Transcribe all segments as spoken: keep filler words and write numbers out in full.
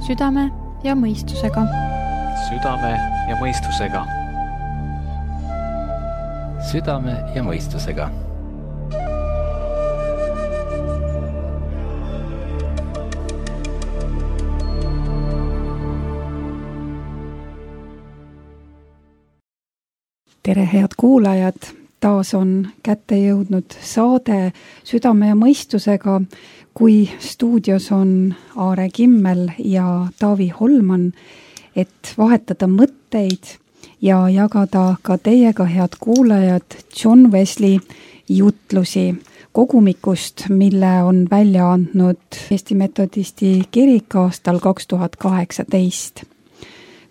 Südame ja mõistusega. Südame ja mõistusega. Südame ja mõistusega. Tere, head kuulajad! Taas on kätte jõudnud saade Südame ja mõistusega, kui stuudios on Aare Kimmel ja Taavi Holman, et vahetada mõtteid ja jagada ka teiega, head kuulajad, John Wesley jutlusi kogumikust, mille on välja andnud Eesti Metodisti kirik aastal kaks tuhat kaheksateist.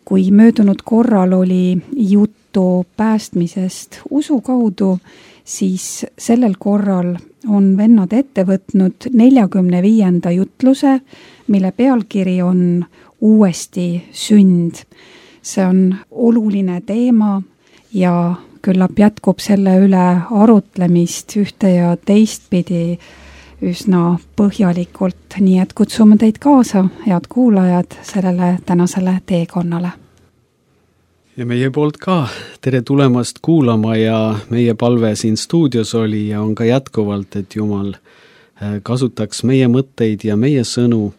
Kui möödunud korral oli juttu päästmisest usu kaudu, siis sellel korral on vennad ette võtnud neljakümne viienda jutluse, mille pealkiri on Uuesti sünd. See on oluline teema ja küllap jätkub selle üle arutlemist ühte ja teistpidi üsna põhjalikult, nii et kutsume teid kaasa, head kuulajad, sellele tänasele teekonnale. Ja meie poolt ka tere tulemast kuulama ja meie palve siin stuudios oli ja on ka jätkuvalt, et Jumal kasutaks meie mõtteid ja meie sõnu,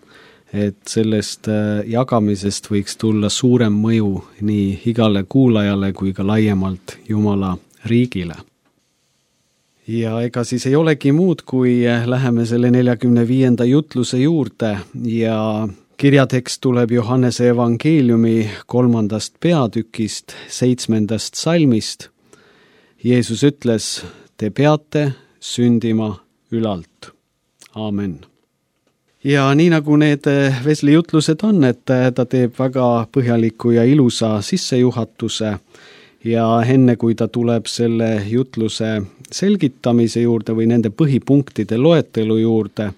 et sellest jagamisest võiks tulla suurem mõju nii igale kuulajale kui ka laiemalt Jumala riigile. Ja ega siis ei olegi muud, kui läheme selle neljakümne viienda jutluse juurde ja kirjatekst tuleb Johannese evangeeliumi kolmandast peatükist, seitsmendast salmist. Jeesus ütles, te peate sündima ülalt. Aamen. Ja nii nagu need Wesley jutlused on, et ta teeb väga põhjaliku ja ilusa sissejuhatuse ja enne kui ta tuleb selle jutluse selgitamise juurde või nende põhipunktide loetelu juurde,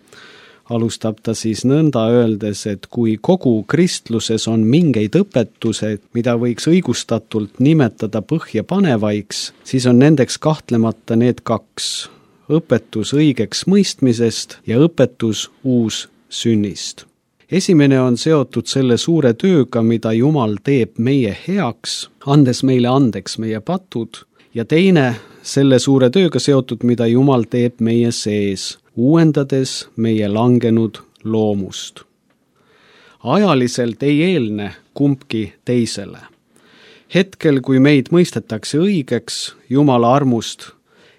alustab ta siis nõnda öeldes, et kui kogu kristluses on mingeid õpetused, mida võiks õigustatult nimetada põhjapanevaiks, siis on nendeks kahtlemata need kaks, õpetus õigeks mõistmisest ja õpetus uus sünnist. Esimene on seotud selle suure tööga, mida Jumal teeb meie heaks, andes meile andeks meie patud, ja teine selle suure tööga seotud, mida Jumal teeb meie sees, uuendades meie langenud loomust. Ajaliselt ei eelne kumbki teisele. Hetkel, kui meid mõistetakse õigeks Jumala armust,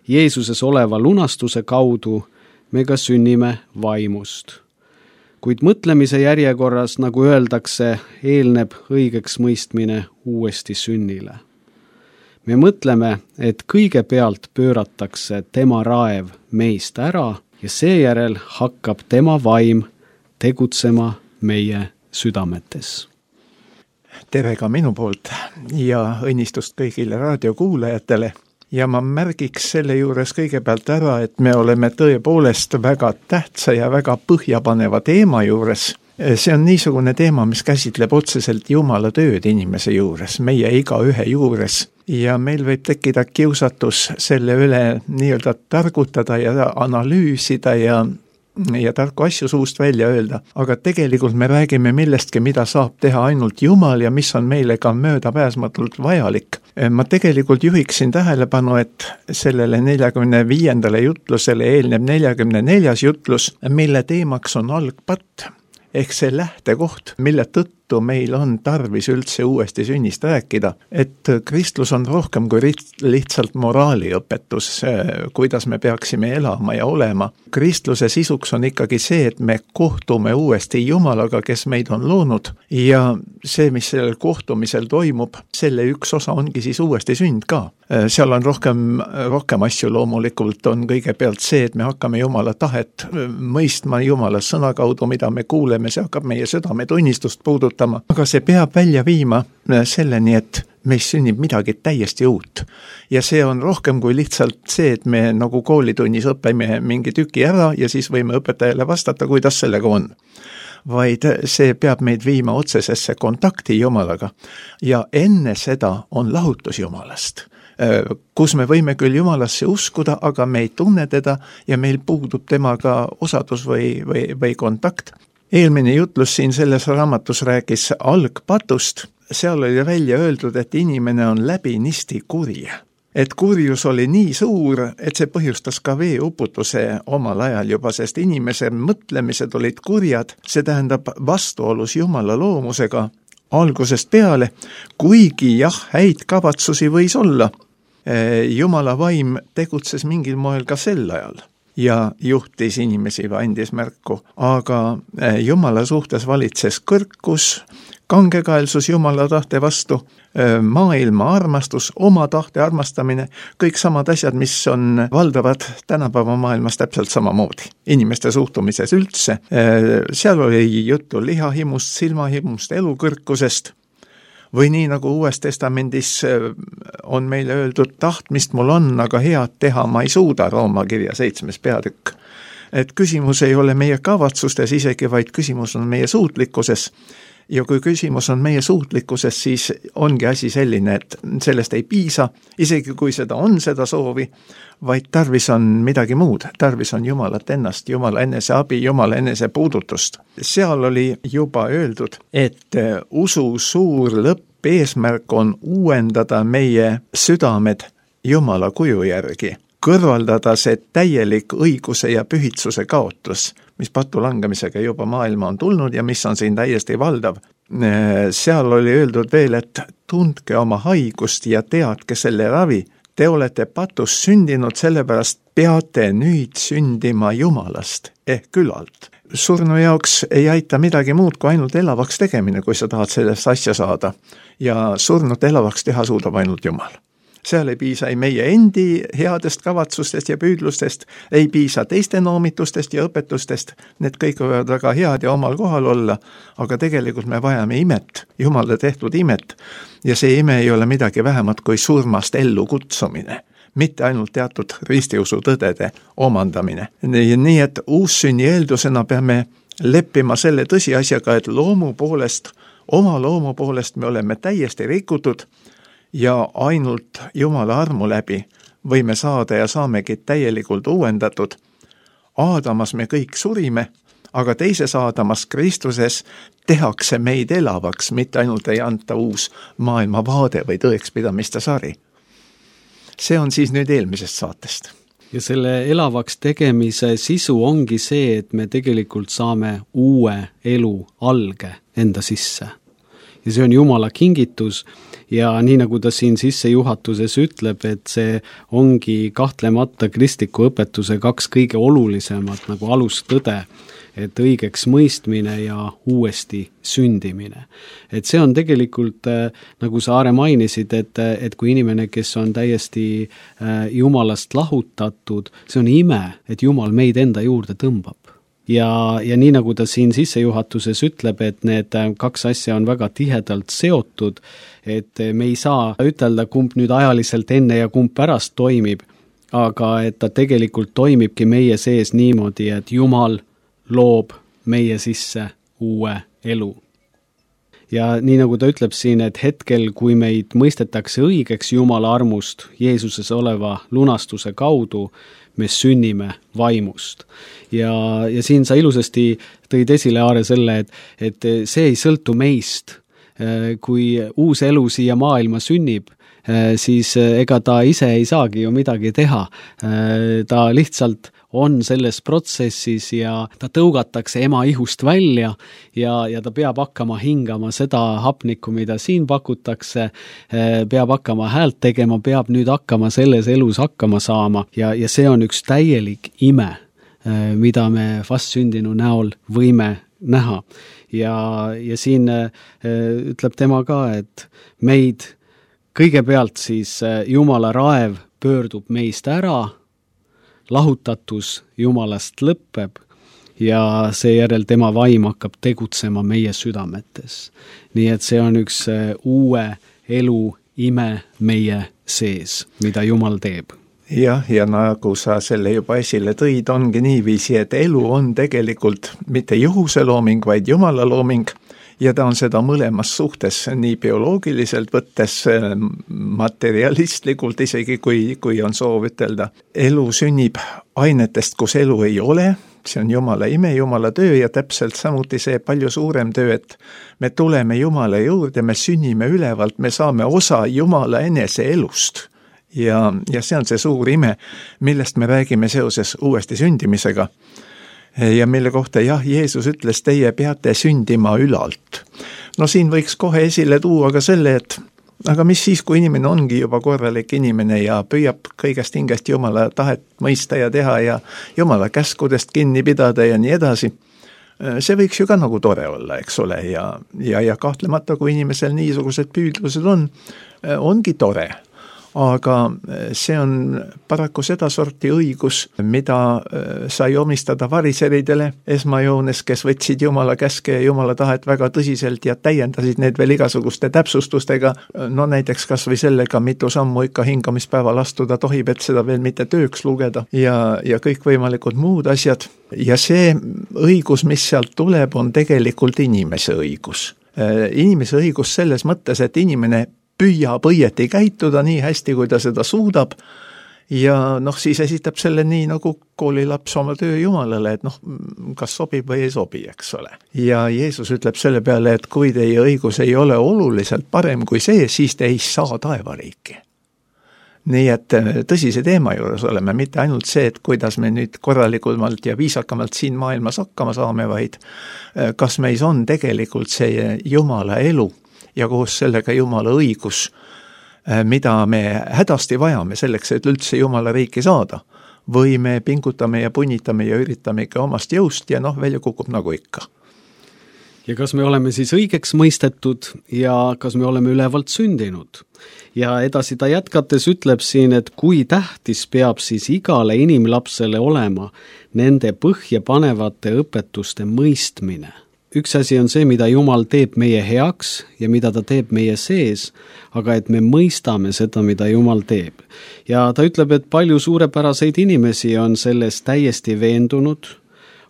Jeesuses oleva lunastuse kaudu, me ka sünnime vaimust. Kuid mõtlemise järjekorras, nagu öeldakse, eelneb õigeks mõistmine uuesti sünnile. Me mõtleme, et kõigepealt pööratakse tema raev meist ära ja seejärel hakkab tema vaim tegutsema meie südametes. Tere ka minu poolt ja õnnistust kõigile raadiokuulajatele. Ja ma märgiks selle juures kõigepealt ära, et me oleme tõepoolest väga tähtsa ja väga põhjapaneva teema juures. See on niisugune teema, mis käsitleb otseselt Jumala tööd inimese juures, meie igaühe juures. Ja meil võib tekkida kiusatus selle üle nii-öelda targutada ja analüüsida ja, ja tarku asju suust välja öelda. Aga tegelikult me räägime millestki, mida saab teha ainult Jumal ja mis on meile ka möödapääsmatult vajalik. Ma tegelikult juhiksin tähelepanu, et sellele neljakümne viiendale jutlusele eelneb neljakümne neljas jutlus, mille teemaks on algpatt. Ehk see lähtekoht, mille tõttu meil on tarvis üldse uuesti sünnist rääkida, et kristlus on rohkem kui lihtsalt moraaliõpetus, kuidas me peaksime elama ja olema. Kristluse sisuks on ikkagi see, et me kohtume uuesti Jumalaga, kes meid on loonud ja see, mis sellel kohtumisel toimub, selle üks osa ongi siis uuesti sünd ka. Seal on rohkem, rohkem asju loomulikult on kõigepealt see, et me hakkame Jumala tahet mõistma Jumala sõna kaudu, mida me kuuleme, see hakkab meie südametunnistust puudutama, aga see peab välja viima selleni, et meis sünnib midagi täiesti uut. Ja see on rohkem kui lihtsalt see, et me nagu koolitunnis õpime mingi tüki ära ja siis võime õpetajale vastata, kuidas sellega on. Vaid see peab meid viima otsesesse kontakti Jumalaga ja enne seda on lahutus Jumalast, kus me võime küll Jumalasse uskuda, aga me ei tunne teda ja meil puudub temaga osadus või, või, või kontakt. eelmine jutlus siin selles raamatus rääkis algpatust, seal oli välja öeldud, et inimene on läbinisti kuri. Et kurjus oli nii suur, et see põhjustas ka veeuputuse omal ajal juba, sest inimese mõtlemised olid kurjad, see tähendab vastuolus Jumala loomusega algusest peale, kuigi jah, häid kavatsusi võis olla. Jumala vaim tegutses mingil moel ka sel ajal ja juhtis inimesi või andis märku, aga Jumala suhtes valitses kõrkus, kangekaelsus Jumala tahte vastu, maailma armastus, oma tahte armastamine, kõik samad asjad, mis on valdavad tänapäeva maailmas täpselt samamoodi. Inimeste suhtumises üldse, seal oli juttu lihahimust, silmahimust, elukõrkusest, või nii nagu Uues Testamendis on meile öeldud, tahtmist mul on, aga head teha ma ei suuda, Rooma kirja seitsmes peatükk. Et küsimus ei ole meie kavatsustes isegi, vaid küsimus on meie suutlikkuses. Ja kui küsimus on meie suutlikkuses, siis ongi asi selline, et sellest ei piisa, isegi kui seda on seda soovi, vaid tarvis on midagi muud, tarvis on Jumalat ennast, Jumala enese abi, Jumala enese puudutust. Seal oli juba öeldud, et usu suur lõpp eesmärk on uuendada meie südamed Jumala kuju järgi, kõrvaldada see täielik õiguse ja pühitsuse kaotus, mis patu langemisega juba maailma on tulnud ja mis on siin täiesti valdav. Seal oli öeldud veel, et tundke oma haigust ja teadke selle ravi. Te olete patus sündinud, sellepärast peate nüüd sündima Jumalast ehk külalt. Surnu jaoks ei aita midagi muud kui ainult elavaks tegemine, kui sa tahad sellest asja saada. Ja surnut elavaks teha suudab ainult Jumal. Seal ei piisa ei meie endi headest kavatsustest ja püüdlustest, ei piisa teiste noomitustest ja õpetustest, need kõik võivad väga head ja omal kohal olla, aga tegelikult me vajame imet, Jumala tehtud imet, ja see ime ei ole midagi vähemat kui surmast ellu kutsumine, mitte ainult teatud ristiusu tõdede omandamine. Nii et uussünni eeldusena peame leppima selle tõsiasjaga, et loomu poolest, oma loomu poolest me oleme täiesti rikutud, ja ainult Jumala armu läbi võime saada ja saamegi täielikult uuendatud. Aadamas me kõik surime, aga teises Aadamas Kristuses tehakse meid elavaks, mitte ainult ei anta uus maailmavaade või tõekspidamiste sari. See on siis nüüd eelmisest saatest. Ja selle elavaks tegemise sisu ongi see, et me tegelikult saame uue elu alge enda sisse. Ja see on Jumala kingitus ja nii nagu ta siin sissejuhatuses ütleb, et see ongi kahtlemata kristliku õpetuse kaks kõige olulisemat nagu alustõde, et õigeks mõistmine ja uuesti sündimine. Et see on tegelikult, nagu sa Aare mainisid, et, et kui inimene, kes on täiesti Jumalast lahutatud, see on ime, et Jumal meid enda juurde tõmbab. Ja, ja nii nagu ta siin sissejuhatuses ütleb, et need kaks asja on väga tihedalt seotud, et me ei saa ütelda, kumb nüüd ajaliselt enne ja kumb pärast toimib, aga et ta tegelikult toimibki meie sees niimoodi, et Jumal loob meie sisse uue elu. Ja nii nagu ta ütleb siin, et hetkel, kui meid mõistetakse õigeks Jumala armust Jeesuses oleva lunastuse kaudu, me sünnime vaimust. Ja, ja siin sa ilusasti tõid esile, Aare, selle, et, et see ei sõltu meist. Kui uus elu siia maailma sünnib, siis ega ta ise ei saagi ju midagi teha. Ta lihtsalt on selles protsessis ja ta tõugatakse ema ihust välja ja, ja ta peab hakkama hingama seda hapnikku, mida siin pakutakse, peab hakkama häält tegema, peab nüüd hakkama selles elus hakkama saama ja, ja see on üks täielik ime, mida me vastsündinu näol võime näha. Ja, ja siin ütleb tema ka, et meid kõigepealt siis Jumala raev pöördub meist ära, lahutatus Jumalast lõppeb ja seejärel tema vaim hakkab tegutsema meie südametes. Nii et see on üks uue elu ime meie sees, mida Jumal teeb. Jah, ja nagu sa selle juba esile tõid, ongi niiviisi, et elu on tegelikult mitte juhuse looming, vaid Jumala looming. Ja ta on seda mõlemas suhtes, nii bioloogiliselt võttes, materialistlikult isegi, kui, kui on soov ütelda. Elu sünnib ainetest, kus elu ei ole, see on Jumala ime, Jumala töö ja täpselt samuti see palju suurem töö, et me tuleme Jumala juurde, me sünnime ülevalt, me saame osa Jumala enese elust. Ja, ja see on see suur ime, millest me räägime seoses uuesti sündimisega. Ja mille kohta jah, Jeesus ütles, teie peate sündima ülalt. No siin võiks kohe esile tuua ka selle, et aga mis siis, kui inimene ongi juba korralik inimene ja püüab kõigest hingest Jumala tahet mõista ja teha ja Jumala käskudest kinni pidada ja nii edasi. See võiks ju ka nagu tore olla, eks ole, ja, ja, ja kahtlemata, kui inimesel niisugused püüdlused on, ongi tore. Aga see on paraku seda sorti õigus, mida sai omistada variseridele esmajoones, kes võtsid Jumala käske ja Jumala tahet väga tõsiselt ja täiendasid need veel igasuguste täpsustustega, no näiteks kas või sellega, mitu sammu ikka hingamispäeval astuda tohib, et seda veel mitte tööks lugeda ja, ja kõikvõimalikud muud asjad. Ja see õigus, mis sealt tuleb, on tegelikult inimese õigus. Inimese õigus selles mõttes, et inimene püüab õieti käituda nii hästi, kui ta seda suudab ja noh, siis esitab selle nii nagu koolilaps oma töö Jumalale, et noh, kas sobib või ei sobi, eks ole. Ja Jeesus ütleb selle peale, et kui teie õigus ei ole oluliselt parem kui see, siis te ei saa taevariiki. Nii et tõsise teema juures oleme, mitte ainult see, et kuidas me nüüd korralikumalt ja viisakamalt siin maailmas hakkama saame, vaid kas meis on tegelikult see Jumala elu ja koos sellega Jumala õigus, mida me hädasti vajame selleks, et üldse Jumala riiki saada. Või me pingutame ja punnitame ja üritame ikka omast jõust ja noh, välja kukub nagu ikka. Ja kas me oleme siis õigeks mõistetud ja kas me oleme ülevalt sündinud? Ja edasi ta jätkates ütleb siin, et kui tähtis peab siis igale inimlapsele olema nende põhjapanevate õpetuste mõistmine. Üks asi on see, mida Jumal teeb meie heaks ja mida ta teeb meie sees, aga et me mõistame seda, mida Jumal teeb. Ja ta ütleb, et palju suurepäraseid inimesi on selles täiesti veendunud,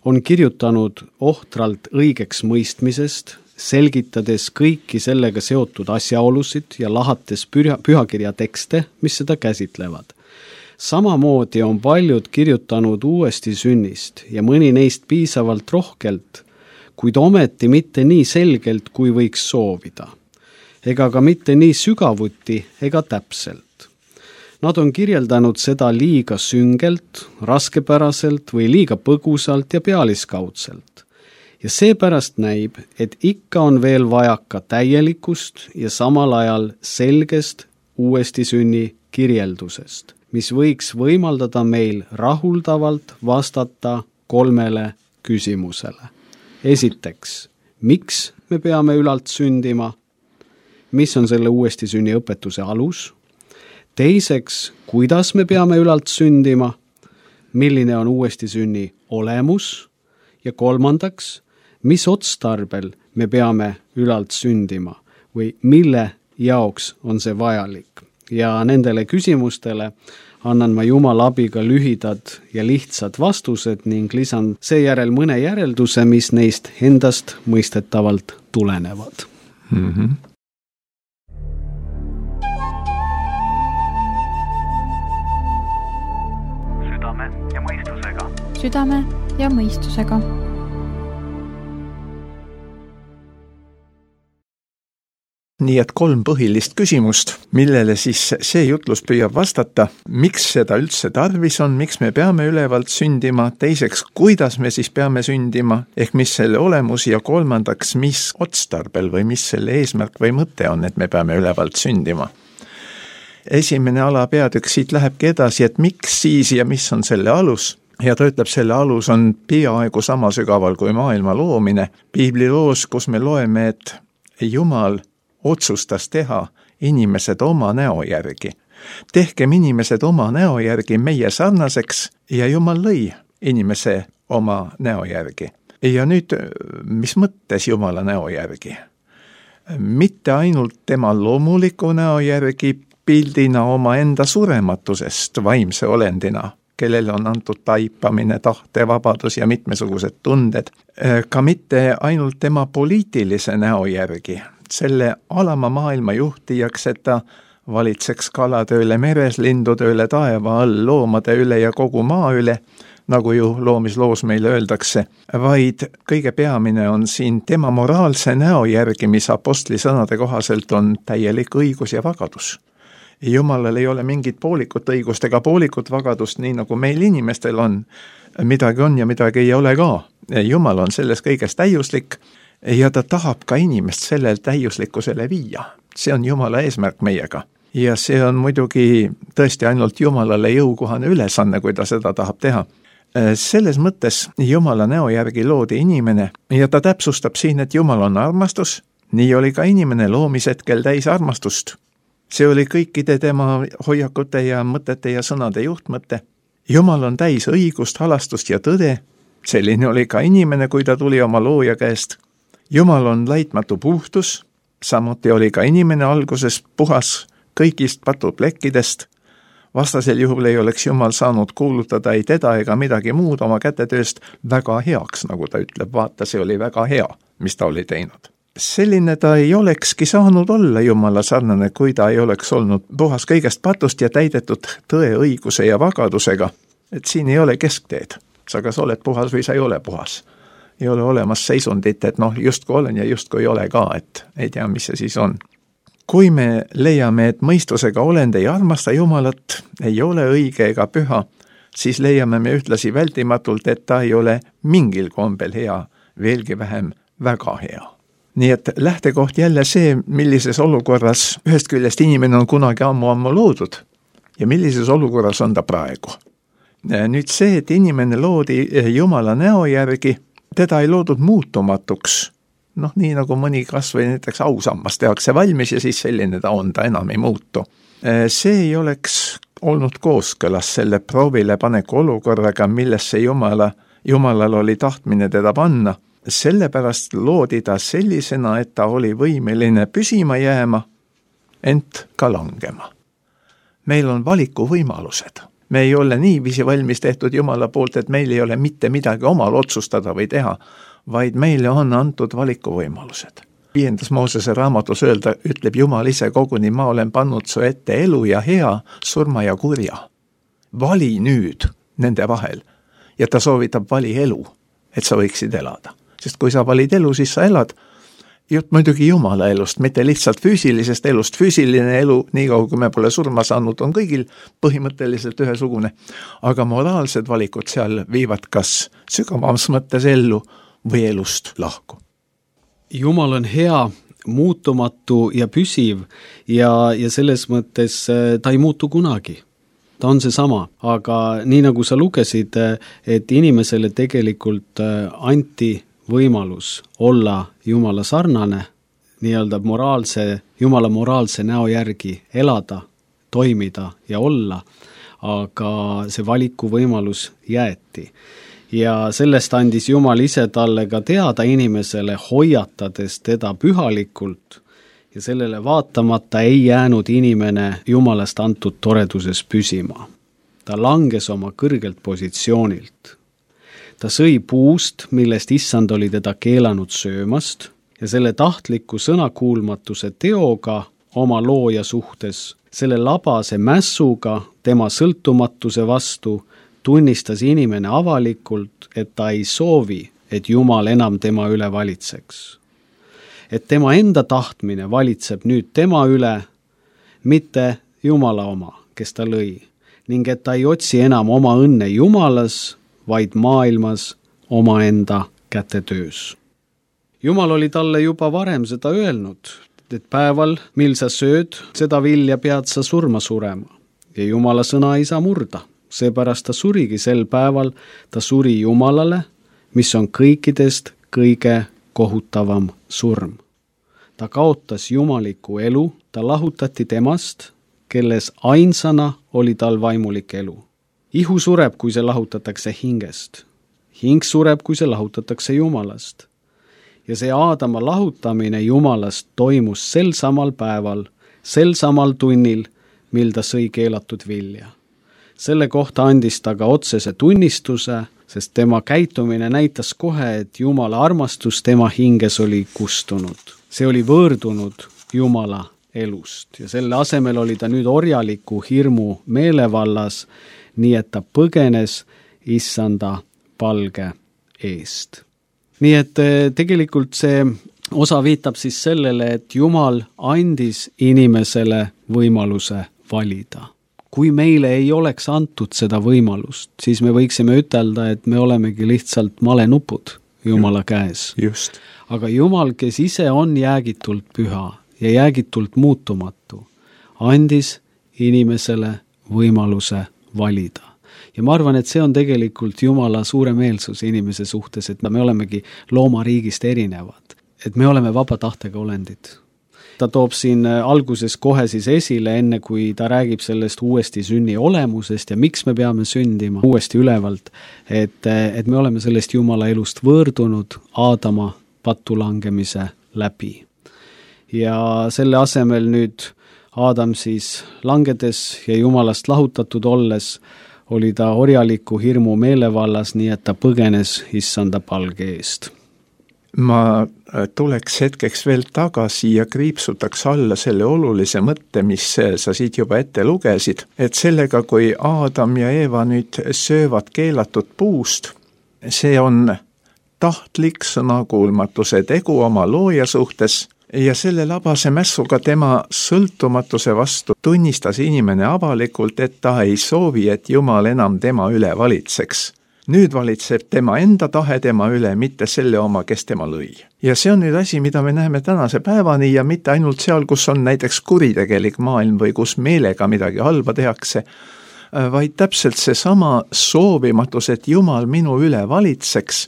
on kirjutanud ohtralt õigeks mõistmisest, selgitades kõiki sellega seotud asjaolusid ja lahates püha, pühakirja tekste, mis seda käsitlevad. Samamoodi on paljud kirjutanud uuesti sünnist ja mõni neist piisavalt rohkelt, kuid ometi mitte nii selgelt, kui võiks soovida, ega ka mitte nii sügavuti ega täpselt. Nad on kirjeldanud seda liiga süngelt, raskepäraselt või liiga põgusalt ja pealiskaudselt. Ja seepärast näib, et ikka on veel vajaka täielikust ja samal ajal selgest uuesti sünni kirjeldusest, mis võiks võimaldada meil rahuldavalt vastata kolmele küsimusele. Esiteks, miks me peame ülalt sündima? Mis on selle uuesti sünni õpetuse alus? Teiseks, kuidas me peame ülalt sündima? Milline on uuesti sünni olemus? Ja kolmandaks, mis otstarbel me peame ülalt sündima või mille jaoks on see vajalik? Ja nendele küsimustele annan ma Jumala abiga lühidad ja lihtsad vastused ning lisan seejärel mõne järelduse, mis neist endast mõistetavalt tulenevad. Mm-hmm. Südame ja mõistusega. Südame ja mõistusega. Nii et kolm põhilist küsimust, millele siis see jutlus püüab vastata, miks seda üldse tarvis on, miks me peame ülevalt sündima, teiseks, kuidas me siis peame sündima, ehk mis selle olemus ja kolmandaks, mis otstarbel või mis selle eesmärk või mõte on, et me peame ülevalt sündima. Esimene alapeatükk siit lähebki edasi, et miks siis ja mis on selle alus. Ja ta ütleb, selle alus on peaaegu sama sügaval kui maailma loomine. Piibliloos, kus me loeme, et Jumal otsustas teha inimesed oma näo järgi. Tehkem inimesed oma näo järgi meie sarnaseks ja Jumal lõi inimese oma näo järgi. Ja nüüd, mis mõttes Jumala näo järgi? Mitte ainult tema loomuliku näo järgi pildina oma enda surematusest vaimse olendina, kellele on antud taipamine, tahte, vabadus ja mitmesugused tunded, ka mitte ainult tema poliitilise näo järgi, selle alama maailma juhtijaks, et ta valitseks kalade üle meres, lindude üle taeva all, loomade üle ja kogu maa üle, nagu ju loomisloos meile öeldakse, vaid kõige peamine on siin tema moraalse näo järgi, mis apostli sõnade kohaselt on täielik õigus ja vagadus. Jumalal ei ole mingit poolikut õigust ega poolikut vagadust, nii nagu meil inimestel on. Midagi on ja midagi ei ole ka. Jumal on selles kõiges täiuslik ja ta tahab ka inimest sellel täiuslikkusele viia. See on Jumala eesmärk meiega. Ja see on muidugi tõesti ainult Jumalale jõukohane ülesanne, kui ta seda tahab teha. Selles mõttes Jumala näo järgi loodi inimene ja ta täpsustab siin, et Jumal on armastus, nii oli ka inimene loomishetkel täis armastust. See oli kõikide tema hoiakute ja mõtete ja sõnade juhtmõte. Jumal on täis õigust, halastust ja tõde, selline oli ka inimene, kui ta tuli oma looja käest. Jumal on laitmatu puhtus, samuti oli ka inimene alguses puhas kõigist patuplekkidest. Vastasel juhul ei oleks Jumal saanud kuulutada ei teda ega midagi muud oma kätetööst väga heaks, nagu ta ütleb, vaata, see oli väga hea, mis ta oli teinud. Selline ta ei olekski saanud olla Jumala sarnane, kui ta ei oleks olnud puhas kõigest patust ja täidetud tõe, õiguse ja vagadusega. Et siin ei ole keskteed. Sa kas oled puhas või sa ei ole puhas. Ei ole olemas seisundit, et noh, justkui olen ja justkui ei ole ka, et ei tea, mis see siis on. Kui me leiame, et mõistusega olend ei armasta Jumalat, ei ole õige ega püha, siis leiame me ühtlasi vältimatult, et ta ei ole mingil kombel hea, veelgi vähem väga hea. Nii et lähtekoht jälle see, millises olukorras ühest küljest inimene on kunagi ammu-ammu loodud ja millises olukorras on ta praegu. Nüüd see, et inimene loodi Jumala näo järgi, teda ei loodud muutumatuks. Noh, nii nagu mõni kas või näiteks ausammas tehakse valmis ja siis selline ta on, ta enam ei muutu. See ei oleks olnud kooskõlas selle proovile paneku olukorraga, millesse Jumala, Jumalal oli tahtmine teda panna. Sellepärast loodi ta sellisena, et ta oli võimeline püsima jääma, ent ka langema. Meil on valiku võimalused. Me ei ole niiviisi valmis tehtud Jumala poolt, et meil ei ole mitte midagi omal otsustada või teha, vaid meile on antud valikuvõimalused. Viiendas Moosese raamatus öelda, ütleb Jumal ise koguni, ma olen pannud su ette elu ja hea, surma ja kurja. Vali nüüd nende vahel ja ta soovitab vali elu, et sa võiksid elada. Sest kui sa valid elu, siis sa elad. Jutt muidugi Jumala elust, mitte lihtsalt füüsilisest elust. Füüsiline elu, nii kaugu kui me pole surma saanud, on kõigil põhimõtteliselt ühesugune. Aga moraalsed valikud seal viivad kas sügavamas mõttes ellu või elust lahku. Jumal on hea, muutumatu ja püsiv ja, ja selles mõttes ta ei muutu kunagi. Ta on see sama, aga nii nagu sa lugesid, et inimesele tegelikult anti võimalus olla Jumala sarnane, nii-öelda moraalse, Jumala moraalse näo järgi elada, toimida ja olla, aga see valiku võimalus jäeti. Ja sellest andis Jumal ise talle ka teada inimesele, hoiatades teda pühalikult ja sellele vaatamata ei jäänud inimene Jumalast antud toreduses püsima. Ta langes oma kõrgelt positsioonilt. Ta sõi puust, millest issand oli teda keelanud söömast ja selle tahtliku sõnakuulmatuse teoga oma looja suhtes, selle labase mässuga tema sõltumatuse vastu tunnistas inimene avalikult, et ta ei soovi, et Jumal enam tema üle valitseks. Et tema enda tahtmine valitseb nüüd tema üle, mitte Jumala oma, kes ta lõi, ning et ta ei otsi enam oma õnne Jumalas, vaid maailmas omaenda kätetöös. Jumal oli talle juba varem seda öelnud, et päeval, mil sa sööd, seda vilja pead sa surma surema ja Jumala sõna ei saa murda. Seepärast ta surigi sel päeval, ta suri Jumalale, mis on kõikidest kõige kohutavam surm. Ta kaotas jumaliku elu, ta lahutati temast, kelles ainsana oli tal vaimulik elu. Ihu sureb, kui see lahutatakse hingest. Hing sureb, kui see lahutatakse Jumalast. Ja see Aadama lahutamine Jumalast toimus sel samal päeval, sel samal tunnil, mil ta sõi keelatud vilja. Selle kohta andis ta ka otsese tunnistuse, sest tema käitumine näitas kohe, et Jumala armastus tema hinges oli kustunud. See oli võõrdunud Jumala elust ja selle asemel oli ta nüüd orjaliku hirmu meelevallas, nii et ta põgenes issanda palge eest. Nii et tegelikult see osa viitab siis sellele, et Jumal andis inimesele võimaluse valida. Kui meile ei oleks antud seda võimalust, siis me võiksime ütelda, et me olemegi lihtsalt malenupud Jumala käes. Just. Aga Jumal, kes ise on jäägitult püha ja jäägitult muutumatu, andis inimesele võimaluse valida. Ja ma arvan, et see on tegelikult Jumala suuremeelsus inimese suhtes, et me olemegi loomariigist erinevad, et me oleme vaba tahtega olendid. Ta toob siin alguses kohe siis esile, enne kui ta räägib sellest uuesti sünni olemusest ja miks me peame sündima uuesti ülevalt, et, et me oleme sellest Jumala elust võõrdunud Aadama pattu langemise läbi. Ja selle asemel nüüd Aadam siis langedes ja Jumalast lahutatud olles oli ta orjaliku hirmu meelevallas, nii et ta põgenes issanda palge eest. Ma tuleks hetkeks veel tagasi ja kriipsutaks alla selle olulise mõtte, mis sa siit juba ette lugesid, et sellega, kui Aadam ja Eeva nüüd söövad keelatud puust, see on tahtlik sõnakuulmatuse tegu oma looja suhtes ja selle labase mässuga tema sõltumatuse vastu tunnistas inimene avalikult, et ta ei soovi, et Jumal enam tema üle valitseks. Nüüd valitseb tema enda tahe tema üle, mitte selle oma, kes tema lõi. Ja see on nüüd asi, mida me näeme tänase päevani ja mitte ainult seal, kus on näiteks kuritegelik maailm või kus meelega midagi halba tehakse, vaid täpselt see sama soovimatus, et Jumal minu üle valitseks,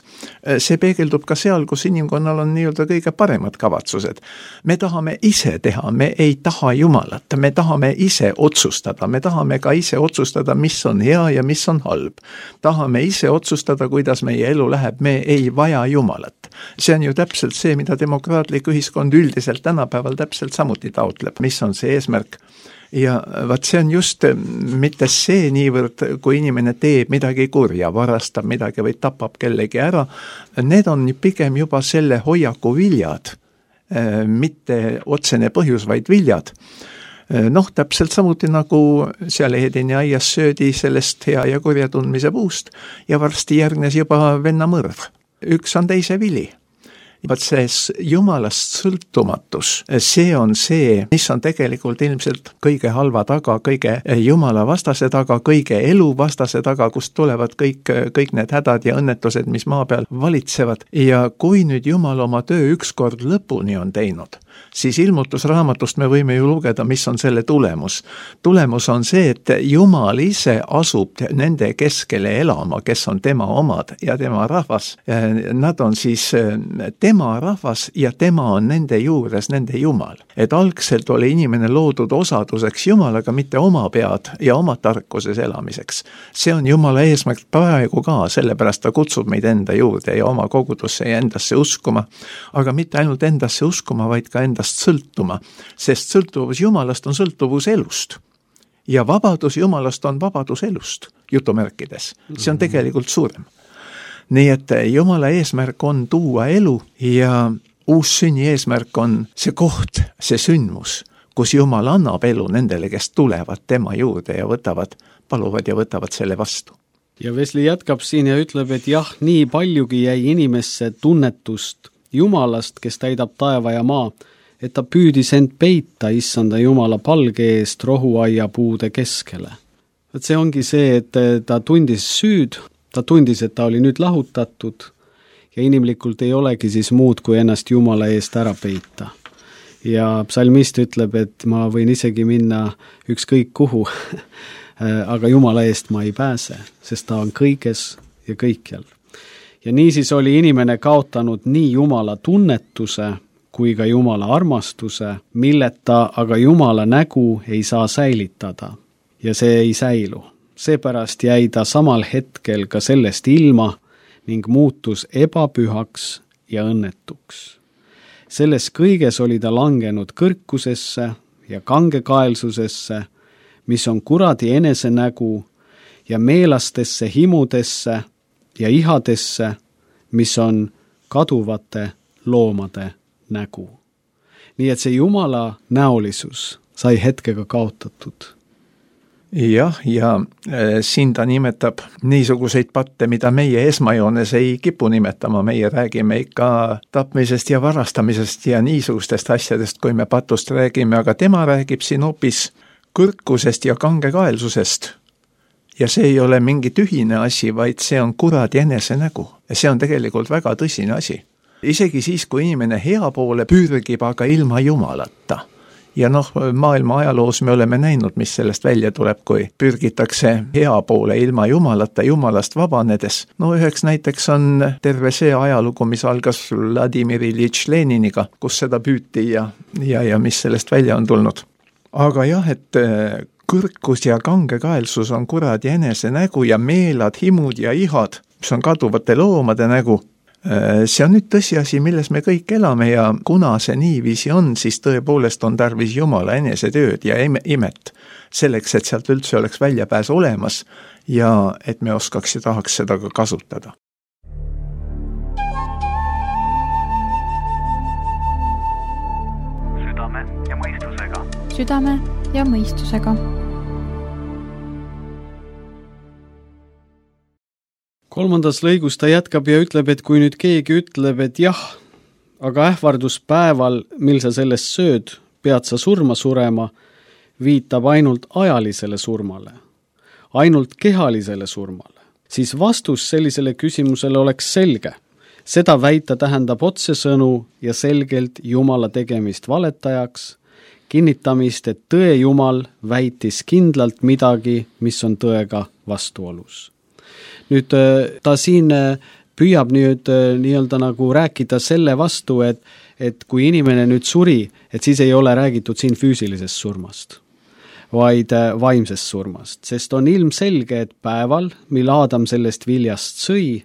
see peegeldub ka seal, kus inimkonnal on nii-öelda kõige paremad kavatsused. Me tahame ise teha, me ei taha Jumalat, me tahame ise otsustada, me tahame ka ise otsustada, mis on hea ja mis on halb. Tahame ise otsustada, kuidas meie elu läheb, me ei vaja Jumalat. See on ju täpselt see, mida demokraatlik ühiskond üldiselt tänapäeval täpselt samuti taotleb, mis on see eesmärk. Ja vaat see on just mitte see niivõrd, kui inimene teeb midagi kurja, varastab midagi või tapab kellegi ära, need on pigem juba selle hoiaku viljad, mitte otsene põhjus, vaid viljad. Noh, täpselt samuti nagu seal Edeni aias söödi sellest hea ja kurja tundmise puust ja varsti järgnes juba vennamõrv. Üks on teise vili. Vaat see Jumalast sõltumatus, see on see, mis on tegelikult ilmselt kõige halva taga, kõige Jumala vastase taga, kõige elu vastase taga, kust tulevad kõik, kõik need hädad ja õnnetused, mis maa peal valitsevad. Ja kui nüüd Jumal oma töö ükskord lõpuni on teinud, siis ilmutusraamatust me võime ju lugeda, mis on selle tulemus. Tulemus on see, et Jumal ise asub nende keskele elama, kes on tema omad ja tema rahvas. Nad on siis tema rahvas ja tema on nende juures, nende Jumal. Et algselt oli inimene loodud osaduseks Jumalaga, mitte oma pead ja oma tarkuses elamiseks. See on Jumala eesmärk praegu ka, sellepärast ta kutsub meid enda juurde ja oma kogudusse ja endasse uskuma, aga mitte ainult endasse uskuma, vaid ka endast sõltuma, sest sõltuvus Jumalast on sõltuvus elust. Ja vabadus Jumalast on vabadus elust, jutumärkides. See on tegelikult suurem. Nii et Jumala eesmärk on tuua elu ja uus sünni eesmärk on see koht, see sündmus, kus Jumal annab elu nendele, kes tulevad tema juurde ja võtavad, paluvad ja võtavad selle vastu. Ja Wesley jätkab siin ja ütleb, et jah, nii paljugi jäi inimesse tunnetust Jumalast, kes täidab taeva ja maa, et ta püüdis end peita issanda Jumala palge eest rohuaia puude keskele. Et see ongi see, et ta tundis süüd, ta tundis, et ta oli nüüd lahutatud ja inimlikult ei olegi siis muud, kui ennast Jumala eest ära peita. Ja psalmist ütleb, et ma võin isegi minna ükskõik kuhu, aga Jumala eest ma ei pääse, sest ta on kõiges ja kõikjal. Ja niisiis oli inimene kaotanud nii Jumala tunnetuse kui ka Jumala armastuse, milleta aga Jumala nägu ei saa säilitada ja see ei säilu. Seepärast jäi ta samal hetkel ka sellest ilma ning muutus ebapühaks ja õnnetuks. Selles kõiges oli ta langenud kõrkusesse ja kangekaelsusesse, mis on kuradi enesenägu ja meelastesse himudesse ja ihadesse, mis on kaduvate loomade nägu. nii et see Jumala näolisus sai hetkega kaotatud. jah, ja äh, siin ta nimetab niisuguseid patte, mida meie esmajoones ei kipu nimetama, meie räägime ikka tapmisest ja varastamisest ja niisugustest asjadest, kui me patust räägime, aga tema räägib siin hoopis kõrkusest ja kangekaelsusest. Ja see ei ole mingi tühine asi, vaid see on kuradi enese nägu. Ja see on tegelikult väga tõsine asi. Isegi siis, kui inimene hea poole pürgib, aga ilma Jumalata. Ja noh, maailma ajaloos me oleme näinud, mis sellest välja tuleb, kui pürgitakse hea poole ilma Jumalata, Jumalast vabanedes. No üheks näiteks on terve see ajalugu, mis algas Vladimir Iljitš Leniniga, kus seda püüti ja, ja, ja mis sellest välja on tulnud. Aga jah, et kõrkus ja kangekaelsus on kuradi enese nägu ja meelad, himud ja ihad, mis on kaduvate loomade nägu. See on nüüd tõsiasi, milles me kõik elame ja kuna see niiviisi on, siis tõepoolest on tarvis Jumala enese tööd ja imet selleks, et sealt üldse oleks väljapääs olemas ja et me oskaks ja tahaks seda ka kasutada. Südame ja mõistusega. Südame ja mõistusega. Kolmandas lõigus ta jätkab ja ütleb, et kui nüüd keegi ütleb, et jah, aga ähvarduspäeval, mil sa sellest sööd, pead sa surma surema, viitab ainult ajalisele surmale, ainult kehalisele surmale, siis vastus sellisele küsimusele oleks selge. Seda väita tähendab otsesõnu ja selgelt Jumala tegemist valetajaks, kinnitamist, et tõe Jumal väitis kindlalt midagi, mis on tõega vastuolus. Nüüd ta siin püüab nüüd nii-öelda nagu rääkida selle vastu, et, et kui inimene nüüd suri, et siis ei ole räägitud siin füüsilisest surmast, vaid vaimsest surmast, sest on ilmselge, et päeval, mil Aadam sellest viljast sõi,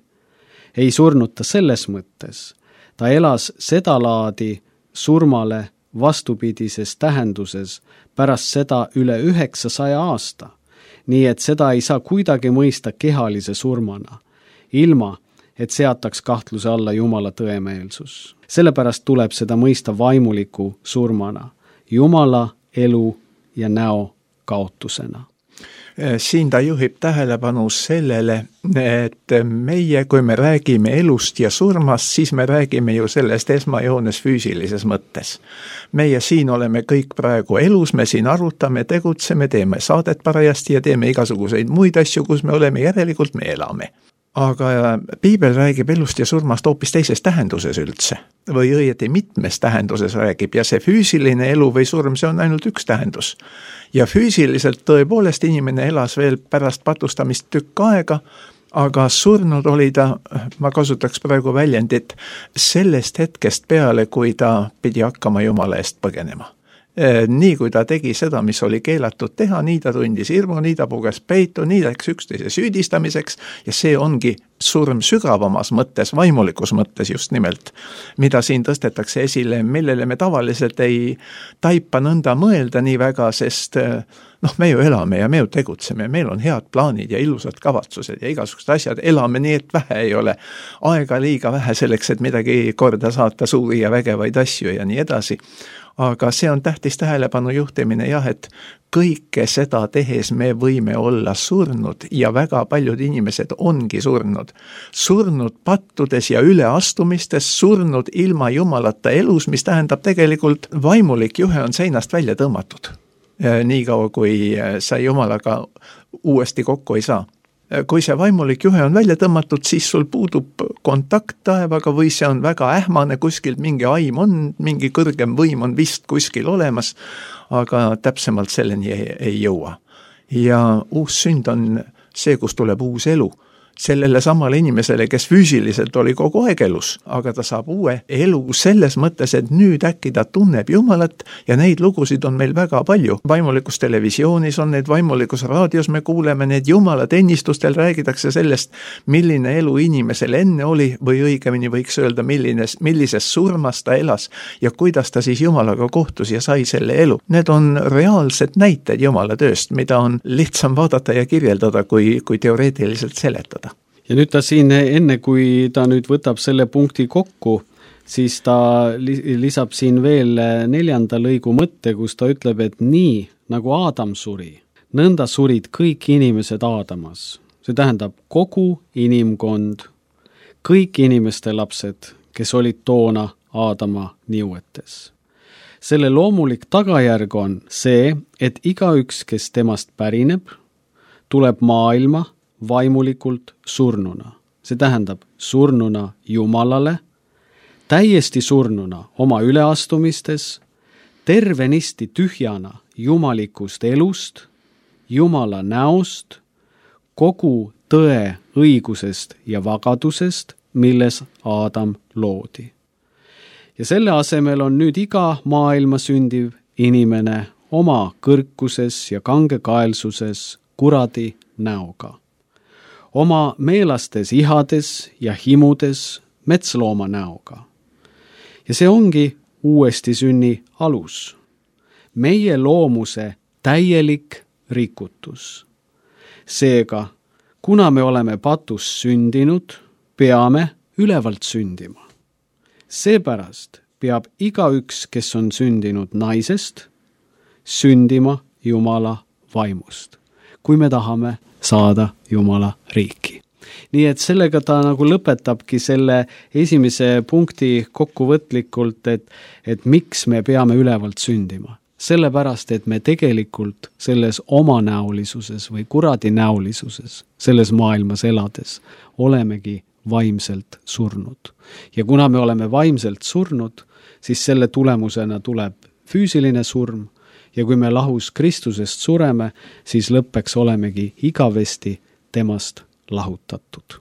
ei surnud ta selles mõttes. Ta elas seda laadi surmale vastupidises tähenduses pärast seda üle üheksasaja aasta. Nii et seda ei saa kuidagi mõista kehalise surmana, ilma, et seataks kahtluse alla Jumala tõemeelsus. Sellepärast tuleb seda mõista vaimuliku surmana, Jumala elu ja näo kaotusena. Siin ta juhib tähelepanu sellele, et meie, kui me räägime elust ja surmast, siis me räägime ju sellest esmajoones füüsilises mõttes. Meie siin oleme kõik praegu elus, me siin arutame, tegutseme, teeme saadet parajasti ja teeme igasuguseid muid asju, kus me oleme, järelikult me elame. Aga Piibel räägib elust ja surmast hoopis teises tähenduses üldse. Või õieti mitmes tähenduses räägib ja see füüsiline elu või surm, see on ainult üks tähendus. Ja füüsiliselt tõepoolest inimene elas veel pärast patustamist tükk aega, aga surnud oli ta, ma kasutaks praegu väljendit, sellest hetkest peale, kui ta pidi hakkama Jumala eest põgenema. Nii kui ta tegi seda, mis oli keelatud teha, nii ta tundis hirmu, nii ta puges peitu, nii läks üksteise süüdistamiseks ja see ongi surm sügavamas mõttes, vaimulikus mõttes just nimelt, mida siin tõstetakse esile, millele me tavaliselt ei taipa nõnda mõelda nii väga, sest noh, me ju elame ja me ju tegutseme, meil on head plaanid ja ilusad kavatsused ja igasugused asjad, elame nii, et vähe ei ole aega liiga vähe selleks, et midagi korda saata, suuri ja vägevaid asju ja nii edasi. Aga see on tähtis tähelepanu juhtimine jah, et kõike seda tehes me võime olla surnud ja väga paljud inimesed ongi surnud. Surnud pattudes ja üleastumistes, surnud ilma Jumalata elus, mis tähendab tegelikult vaimulik juhe on seinast välja tõmmatud. Nii kaua, kui sa Jumalaga uuesti kokku ei saa. Kui see vaimulik juhe on välja tõmmatud, siis sul puudub kontakt taevaga või see on väga ähmane, kuskilt mingi aim on, mingi kõrgem võim on vist kuskil olemas, aga täpsemalt selleni ei, ei jõua. Ja uus sünd on see, kus tuleb uus elu. Sellele samale inimesele, kes füüsiliselt oli kogu aeg elus, aga ta saab uue elu selles mõttes, et nüüd äkki ta tunneb Jumalat ja neid lugusid on meil väga palju. Vaimulikus televisioonis on need, vaimulikus raadios me kuuleme need, Jumala teenistustel räägitakse sellest, milline elu inimesel enne oli või õigemini võiks öelda, milline, millises surmas ta elas ja kuidas ta siis Jumalaga kohtus ja sai selle elu. Need on reaalsed näited Jumala tööst, mida on lihtsam vaadata ja kirjeldada, kui, kui teoreetiliselt seletada. Ja nüüd ta siin, enne kui ta nüüd võtab selle punkti kokku, siis ta lisab siin veel neljanda lõigu mõtte, kus ta ütleb, et nii nagu Aadam suri, nõnda surid kõik inimesed Aadamas. See tähendab kogu inimkond, kõik inimeste lapsed, kes olid toona Aadama niuetes. Selle loomulik tagajärg on see, et igaüks, kes temast pärineb, tuleb maailma vaimulikult surnuna. See tähendab surnuna Jumalale, täiesti surnuna oma üleastumistes, tervenisti tühjana jumalikust elust, Jumala näost, kogu tõe õigusest ja vagadusest, milles Aadam loodi. Ja selle asemel on nüüd iga maailma sündiv inimene oma kõrkuses ja kangekaelsuses kuradi näoga. Oma meelastes ihades ja himudes metslooma näoga. Ja see ongi uuesti sünni alus. Meie loomuse täielik rikutus. Seega, kuna me oleme patus sündinud, peame ülevalt sündima. Seepärast peab igaüks, kes on sündinud naisest, sündima Jumala vaimust, kui me tahame saada Jumala riiki. Nii et sellega ta nagu lõpetabki selle esimese punkti kokkuvõtlikult, et, et miks me peame ülevalt sündima. Sellepärast, et me tegelikult selles omanäolisuses või kuradi näolisuses, selles maailmas elades, olemegi vaimselt surnud. Ja kuna me oleme vaimselt surnud, siis selle tulemusena tuleb füüsiline surm ja kui me lahus Kristusest sureme, siis lõppeks olemegi igavesti temast lahutatud.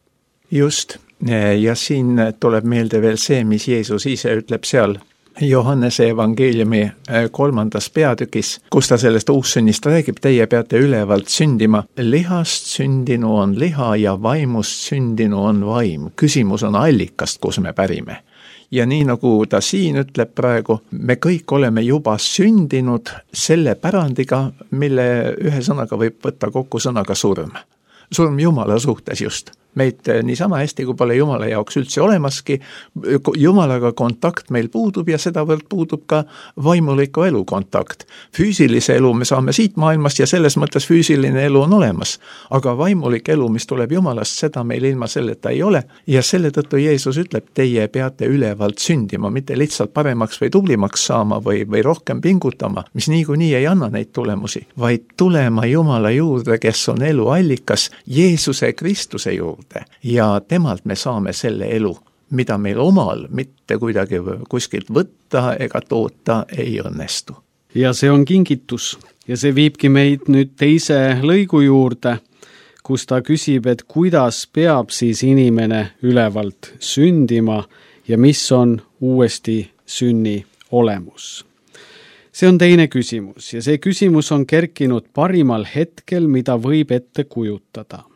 Just, ja siin tuleb meelde veel see, mis Jeesus ise ütleb seal Johannese evangeeliumi kolmandas peatükis, kus ta sellest uussünnist räägib, teie peate ülevalt sündima. Lihast sündinu on liha ja vaimust sündinu on vaim. Küsimus on allikast, kus me pärime. Ja nii nagu ta siin ütleb praegu, me kõik oleme juba sündinud selle pärandiga, mille ühe sõnaga võib võtta kokku sõnaga surm. Surm Jumala suhtes just. Meid niisama hästi, kui pole Jumala jaoks üldse olemaski, Jumalaga kontakt meil puudub ja sedavõrd puudub ka vaimuliku elu kontakt. Füüsilise elu me saame siit maailmast ja selles mõttes füüsiline elu on olemas, aga vaimulik elu, mis tuleb Jumalast, seda meil ilma selleta ei ole ja selle tõttu Jeesus ütleb, teie peate ülevalt sündima, mitte lihtsalt paremaks või tublimaks saama või, või rohkem pingutama, mis niikuinii ei anna neid tulemusi, vaid tulema Jumala juurde, kes on elu allikas, Jeesuse Kristuse juurde. Ja temalt me saame selle elu, mida meil omal mitte kuidagi kuskilt võtta ega toota ei õnnestu. Ja see on kingitus ja see viibki meid nüüd teise lõigu juurde, kus ta küsib, et kuidas peab siis inimene ülevalt sündima ja mis on uuesti sünni olemus. See on teine küsimus ja see küsimus on kerkinud parimal hetkel, mida võib ette kujutada.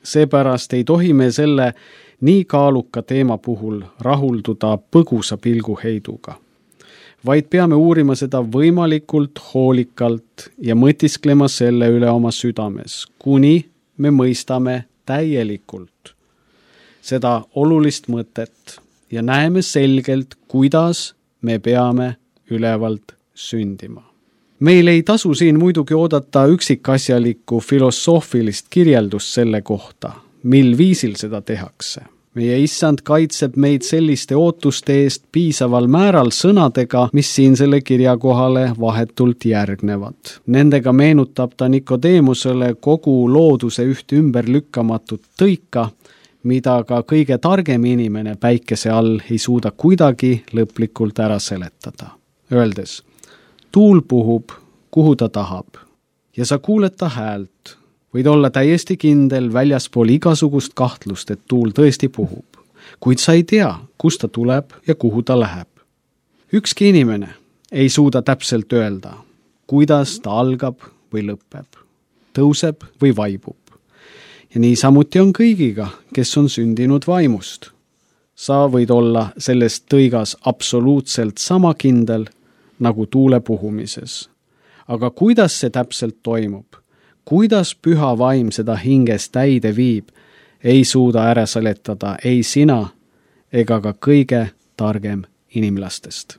Seepärast ei tohi me selle nii kaaluka teema puhul rahulduda põgusa pilguheiduga, vaid peame uurima seda võimalikult hoolikalt ja mõtisklema selle üle oma südames, kuni me mõistame täielikult seda olulist mõtet ja näeme selgelt, kuidas me peame ülevalt sündima. Meil ei tasu siin muidugi oodata üksikasjalikku filosoofilist kirjeldust selle kohta, mil viisil seda tehakse. Meie issand kaitseb meid selliste ootuste eest piisaval määral sõnadega, mis siin selle kirja kohale vahetult järgnevad. Nendega meenutab ta Nikodeemusele kogu looduse üht ümberlükkamatut tõika, mida ka kõige targem inimene päikese all ei suuda kuidagi lõplikult ära seletada. Öeldes, tuul puhub, kuhu ta tahab, ja sa kuuled ta häält, võid olla täiesti kindel väljaspool igasugust kahtlust, et tuul tõesti puhub, kuid sa ei tea, kust ta tuleb ja kuhu ta läheb. Ükski inimene ei suuda täpselt öelda, kuidas ta algab või lõpeb, tõuseb või vaibub. Ja nii samuti on kõigiga, kes on sündinud vaimust. Sa võid olla sellest tõigas absoluutselt sama kindel, nagu tuule puhumises. Aga kuidas see täpselt toimub? Kuidas püha vaim seda hinges täide viib, ei suuda ära seletada ei sina ega ka kõige targem inimlastest.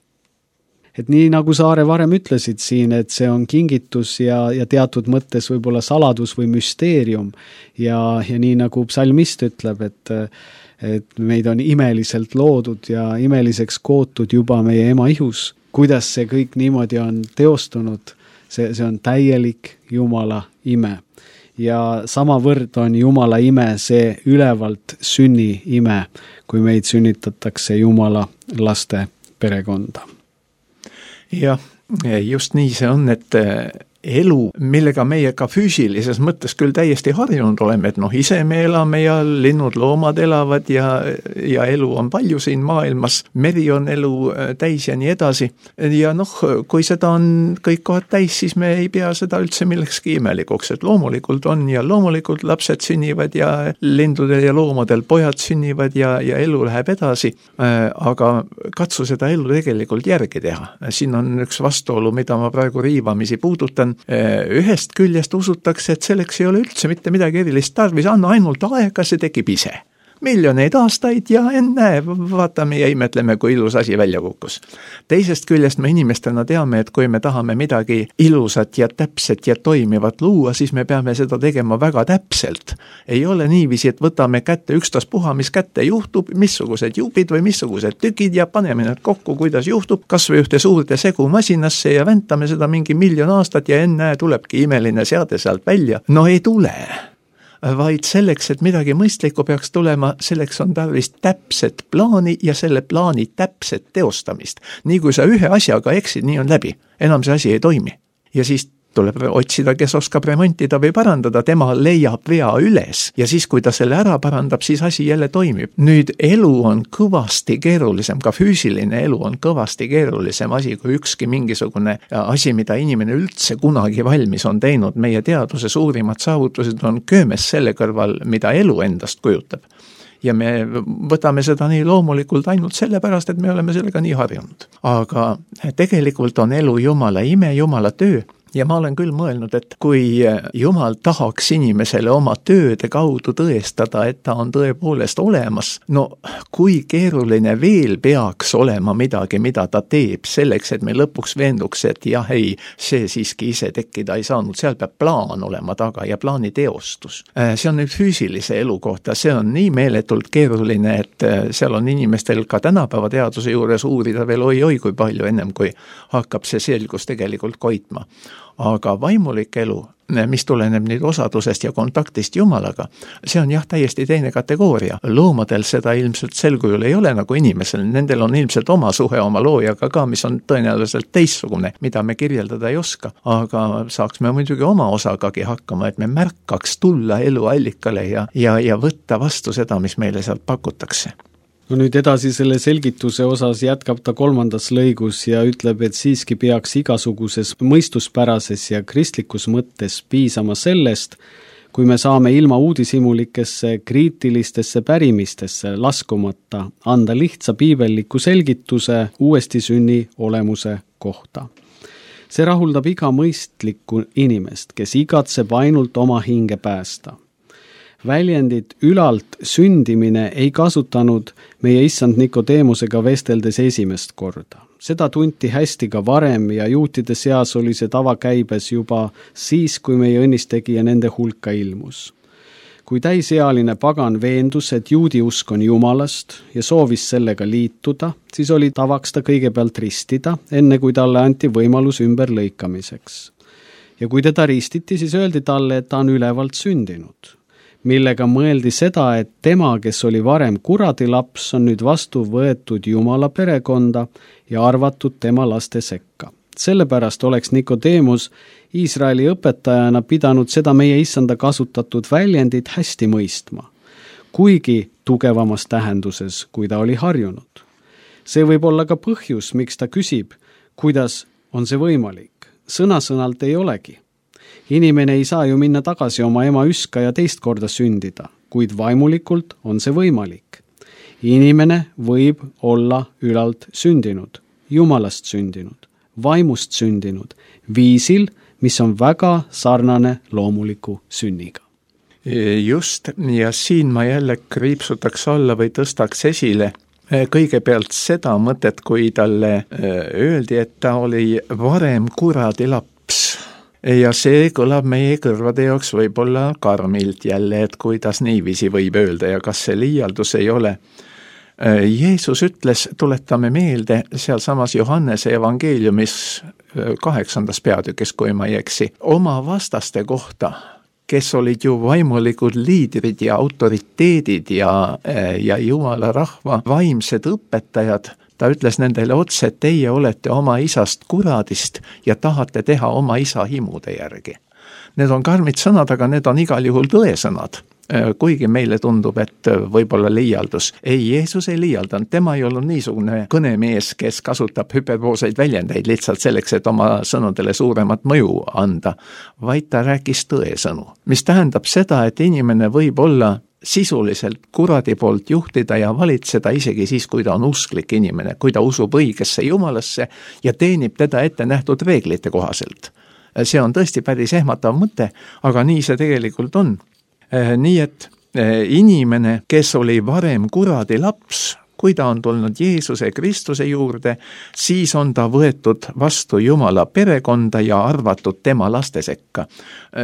Et nii nagu sa, Aare, varem ütlesid siin, et see on kingitus ja, ja teatud mõttes võib-olla saladus või müsteerium ja, ja nii nagu psalmist ütleb, et, et meid on imeliselt loodud ja imeliseks kootud juba meie ema ihus, kuidas see kõik niimoodi on teostunud, see, see on täielik Jumala ime. Ja samavõrd on Jumala ime see ülevalt sünni ime, kui meid sünnitatakse Jumala laste perekonda. Jah, just nii see on, et elu, millega meie ka füüsilises mõttes küll täiesti harjunud oleme, et noh, ise me elame ja linnud, loomad elavad ja, ja elu on palju siin maailmas, meri on elu täis ja nii edasi. Ja noh, kui seda on kõik kohad täis, siis me ei pea seda üldse millekski imelikuks, et loomulikult on ja loomulikult lapsed sünnivad ja lindudel ja loomadel pojad sünnivad ja, ja elu läheb edasi, aga katsu seda elu tegelikult järgi teha. Siin on üks vastuolu, mida ma praegu riivamisi puudutan. Ühest küljest usutakse, et selleks ei ole üldse mitte midagi erilist tarvis, anna ainult aega, see tekib ise. Miljoneid aastaid ja enne vaatame ja imetleme, kui ilus asi välja kukkus. Teisest küljest me inimestena teame, et kui me tahame midagi ilusat ja täpset ja toimivat luua, siis me peame seda tegema väga täpselt. Ei ole niiviisi, et võtame kätte ükstas puha, mis kätte juhtub, missugused jupid või missugused tükid ja paneme need kokku, kuidas juhtub, kas või ühte suurde segu masinasse ja väntame seda mingi miljon aastat ja enne tulebki imeline seade sealt välja. No ei tule. Vaid selleks, et midagi mõistlikku peaks tulema, selleks on tarvis täpset plaani ja selle plaani täpset teostamist. Nii kui sa ühe asjaga eksid, nii on läbi. Enam see asi ei toimi. Ja siis tuleb otsida, kes oskab remontida või parandada, tema leiab vea üles ja siis, kui ta selle ära parandab, siis asi jälle toimib. Nüüd elu on kõvasti keerulisem, ka füüsiline elu on kõvasti keerulisem asi kui ükski mingisugune asi, mida inimene üldse kunagi valmis on teinud. Meie teaduse suurimad saavutused on köömes selle kõrval, mida elu endast kujutab. Ja me võtame seda nii loomulikult ainult sellepärast, et me oleme sellega nii harjunud. Aga tegelikult on elu Jumala ime, Jumala töö. Ja ma olen küll mõelnud, et kui Jumal tahaks inimesele oma tööde kaudu tõestada, et ta on tõepoolest olemas, no kui keeruline veel peaks olema midagi, mida ta teeb selleks, et me lõpuks veenduks, et jah, ei, see siiski ise tekkida ei saanud, seal peab plaan olema taga ja plaani teostus. See on nüüd füüsilise elu kohta, see on nii meeletult keeruline, et seal on inimestel ka tänapäeva teaduse juures uurida veel oi-oi kui palju ennem, kui hakkab see selgus tegelikult koitma. Aga vaimulik elu, mis tuleneb nüüd osadusest ja kontaktist Jumalaga, see on jah täiesti teine kategooria. Loomadel seda ilmselt selkujul ei ole nagu inimesel, nendel on ilmselt oma suhe oma loojaga ka, mis on tõenäoliselt teistsugune, mida me kirjeldada ei oska. Aga saaks me muidugi oma osagagi hakkama, et me märkaks tulla elu allikale ja, ja, ja võtta vastu seda, mis meile sealt pakutakse. No nüüd edasi selle selgituse osas jätkab ta kolmandas lõigus ja ütleb, et siiski peaks igasuguses mõistuspärases ja kristlikus mõttes piisama sellest, kui me saame ilma uudishimulikesse kriitilistesse pärimistesse laskumata anda lihtsa piibelliku selgituse uuesti sünni olemuse kohta. See rahuldab iga mõistlikku inimest, kes igatseb ainult oma hinge päästa. Väljendit ülalt sündimine ei kasutanud meie issand Nikodeemusega vesteldes esimest korda. Seda tunti hästi ka varem ja juutide seas oli see tavakäibes juba siis, kui meie õnnistegija nende hulka ilmus. Kui täisealine pagan veendus, et juudi usk on Jumalast ja soovis sellega liituda, siis oli tavaks ta kõigepealt ristida, enne kui talle anti võimalus ümberlõikamiseks. Ja kui teda ristiti, siis öeldi talle, et ta on ülevalt sündinud, millega mõeldi seda, et tema, kes oli varem kuradi laps, on nüüd vastu võetud Jumala perekonda ja arvatud tema laste sekka. Sellepärast oleks Nikodeemus Iisraeli õpetajana pidanud seda meie issanda kasutatud väljendit hästi mõistma, kuigi tugevamas tähenduses, kui ta oli harjunud. See võib olla ka põhjus, miks ta küsib, kuidas on see võimalik. Sõna-sõnalt ei olegi. Inimene ei saa ju minna tagasi oma ema üska ja teist korda sündida, kuid vaimulikult on see võimalik. Inimene võib olla ülalt sündinud, Jumalast sündinud, vaimust sündinud, viisil, mis on väga sarnane loomuliku sünniga. Just, ja siin ma jälle kriipsutaks alla või tõstaks esile kõigepealt seda mõtet, kui talle öeldi, et ta oli varem kuradi laps. Ja see kõlab meie kõrvade jaoks võib-olla karmilt jälle, et kuidas niiviisi võib öelda ja kas see liialdus ei ole. Jeesus ütles, tuletame meelde, seal samas Johannese evangeeliumis kaheksandas peatükis, kui ma ei eksi, oma vastaste kohta, kes olid ju vaimulikud liidrid ja autoriteedid ja, ja Jumala rahva vaimsed õpetajad. Ta ütles nendele otse, et teie olete oma isast kuradist ja tahate teha oma isa himude järgi. Need on karmid sõnad, aga need on igal juhul tõesõnad. Kuigi meile tundub, et võib-olla liialdus. Ei, Jeesus ei liialdanud, tema ei olnud niisugune kõnemees, kes kasutab hüperbooseid väljendeid lihtsalt selleks, et oma sõnadele suuremat mõju anda, vaid ta rääkis tõesõnu. Mis tähendab seda, et inimene võib olla sisuliselt kuradi poolt juhtida ja valitseda isegi siis, kui ta on usklik inimene, kui ta usub õigesse Jumalasse ja teenib teda ette nähtud reeglite kohaselt. See on tõesti päris ehmatav mõte, aga nii see tegelikult on. Nii et inimene, kes oli varem kuradi laps, kui ta on tulnud Jeesuse Kristuse juurde, siis on ta võetud vastu Jumala perekonda ja arvatud tema laste sekka.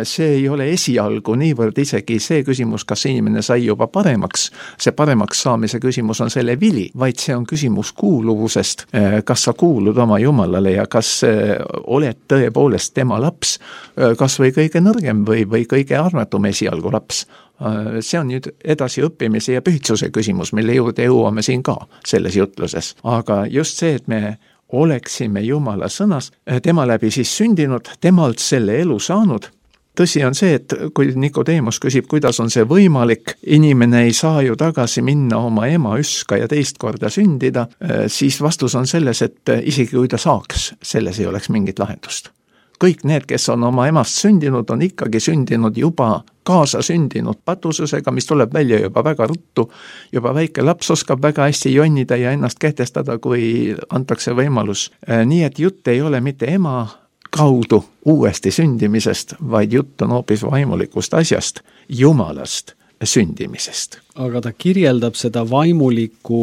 See ei ole esialgu niivõrd isegi see küsimus, kas inimene sai juba paremaks. See paremaks saamise küsimus on selle vili, vaid see on küsimus kuuluvusest. Kas sa kuulud oma Jumalale ja kas oled tõepoolest tema laps, kas või kõige nõrgem või, või kõige armatum esialgu laps. See on nüüd edasi õppimise ja pühtsuse küsimus, mille juurde jõuame siin ka selles jutluses. Aga just see, et me oleksime Jumala sõnas, tema läbi siis sündinud, temalt selle elu saanud. Tõsi on see, et kui Nikodemus küsib, kuidas on see võimalik, inimene ei saa ju tagasi minna oma ema üska ja teist korda sündida, siis vastus on selles, et isegi kui ta saaks, selles ei oleks mingit lahendust. Kõik need, kes on oma emast sündinud, on ikkagi sündinud juba kaasa sündinud patususega, mis tuleb välja juba väga ruttu. Juba väike laps oskab väga hästi jonnida ja ennast kehtestada, kui antakse võimalus. Nii et jutt ei ole mitte ema kaudu uuesti sündimisest, vaid jutt on hoopis vaimulikust asjast, Jumalast sündimisest. Aga ta kirjeldab seda vaimulikku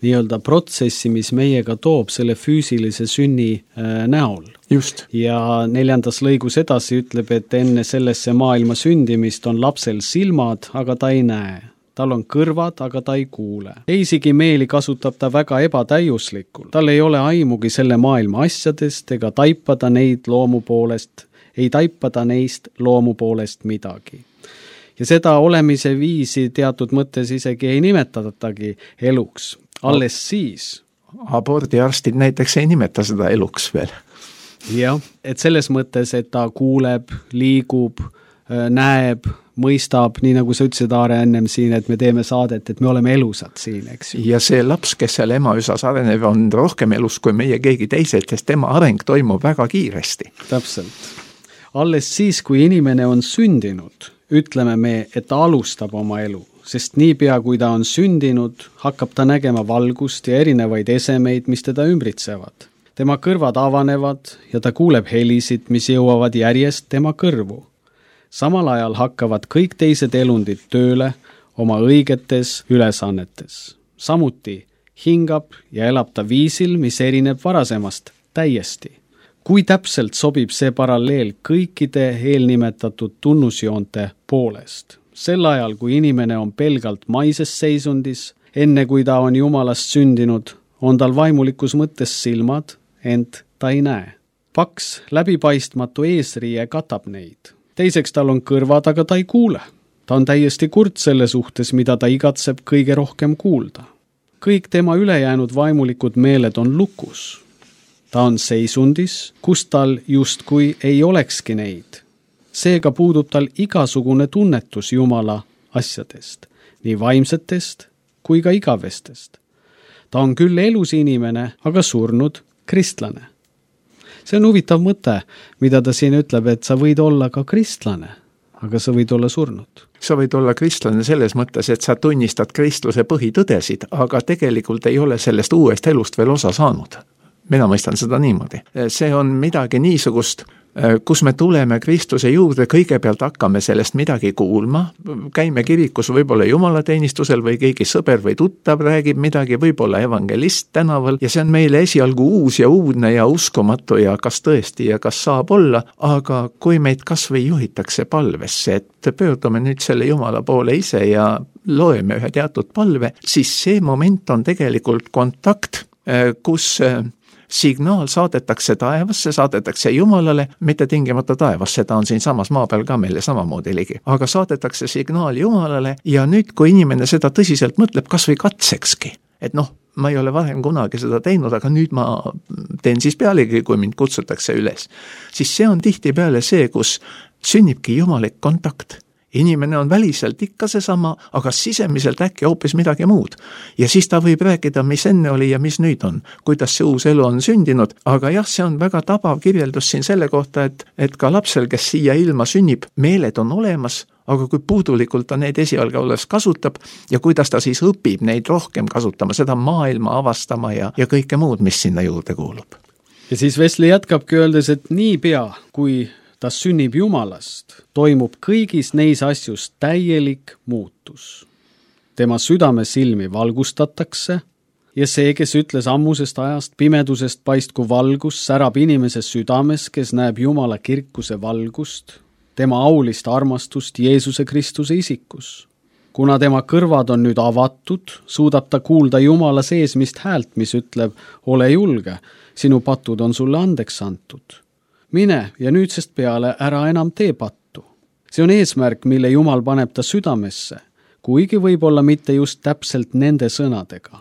nii-öelda protsessi, mis meiega toob selle füüsilise sünni äh, näol. Just. Ja neljandas lõigus edasi ütleb, et enne sellesse maailma sündimist on lapsel silmad, aga ta ei näe. Tal on kõrvad, aga ta ei kuule. Teisigi meeli kasutab ta väga ebatäiuslikul. Tal ei ole aimugi selle maailma asjadest ega taipada neid loomu poolest, ei taipada neist loomu poolest midagi. Ja seda olemise viisi teatud mõttes isegi ei nimetatagi eluks. Alles siis. Abordiarstid näiteks ei nimeta seda eluks veel. Jah, et selles mõttes, et ta kuuleb, liigub, näeb, mõistab, nii nagu sa ütlesid, Aare, ennem siin, et me teeme saadet, et me oleme elusad siin, eks ju. Ja see laps, kes seal ema üsas areneb, on rohkem elus kui meie keegi teised, sest tema areng toimub väga kiiresti. Täpselt. Alles siis, kui inimene on sündinud, ütleme me, et ta alustab oma elu, sest niipea kui ta on sündinud, hakkab ta nägema valgust ja erinevaid esemeid, mis teda ümbritsevad. Tema kõrvad avanevad ja ta kuuleb helisid, mis jõuavad järjest tema kõrvu. Samal ajal hakkavad kõik teised elundid tööle oma õigetes ülesannetes. Samuti hingab ja elab ta viisil, mis erineb varasemast täiesti. Kui täpselt sobib see paralleel kõikide eelnimetatud tunnusjoonte poolest? Sel ajal, kui inimene on pelgalt maises seisundis, enne kui ta on Jumalast sündinud, on tal vaimulikus mõttes silmad, ent ta ei näe. Paks, läbipaistmatu eesriie katab neid. Teiseks tal on kõrvad, aga ta ei kuule. Ta on täiesti kurt selle suhtes, mida ta igatseb kõige rohkem kuulda. Kõik tema ülejäänud vaimulikud meeled on lukus. Ta on seisundis, kus tal justkui ei olekski neid. Seega puudub tal igasugune tunnetus Jumala asjadest, nii vaimsetest kui ka igavestest. Ta on küll elus inimene, aga surnud kristlane. See on huvitav mõte, mida ta siin ütleb, et sa võid olla ka kristlane, aga sa võid olla surnud. Sa võid olla kristlane selles mõttes, et sa tunnistad kristluse põhitõdesid, aga tegelikult ei ole sellest uuest elust veel osa saanud. Mina mõistan seda niimoodi. See on midagi niisugust, kus me tuleme Kristuse juurde, kõigepealt hakkame sellest midagi kuulma, käime kirikus võib-olla jumalateenistusel või keegi sõber või tuttav räägib midagi, võib-olla evangelist tänaval ja see on meile esialgu uus ja uudne ja uskumatu ja kas tõesti ja kas saab olla, aga kui meid kas või juhitakse palvesse, et pöördume nüüd selle Jumala poole ise ja loeme ühe teatud palve, siis see moment on tegelikult kontakt, kus signaal saadetakse taevasse, saadetakse Jumalale, mitte tingimata taevasse, ta on siin samas maa peal ka meile samamoodi ligi. Aga saadetakse signaal Jumalale ja nüüd, kui inimene seda tõsiselt mõtleb, kas või katsekski, et noh, ma ei ole varem kunagi seda teinud, aga nüüd ma teen siis pealegi, kui mind kutsutakse üles, siis see on tihtipeale see, kus sünnibki jumalik kontakt. Inimene on väliselt ikka seesama, aga sisemiselt äkki hoopis midagi muud. Ja siis ta võib rääkida, mis enne oli ja mis nüüd on, kuidas see uus elu on sündinud, aga jah, see on väga tabav kirjeldus siin selle kohta, et, et ka lapsel, kes siia ilma sünnib, meeled on olemas, aga kui puudulikult ta neid esialgu alles kasutab ja kuidas ta siis õpib neid rohkem kasutama, seda maailma avastama ja, ja kõike muud, mis sinna juurde kuulub. Ja siis Wesley jätkabki öeldes, et nii pea, kui ta sünnib Jumalast, toimub kõigis neis asjus täielik muutus. Tema südame silmi valgustatakse ja see, kes ütles ammusest ajast pimedusest paistku valgus, särab inimese südames, kes näeb Jumala kirkuse valgust, tema aulist armastust Jeesuse Kristuse isikus. Kuna tema kõrvad on nüüd avatud, suudab ta kuulda Jumala seesmist häält, mis ütleb, ole julge, sinu patud on sulle andeks antud. Mine ja nüüdsest peale ära enam tee pattu. See on eesmärk, mille Jumal paneb ta südamesse, kuigi võib-olla mitte just täpselt nende sõnadega.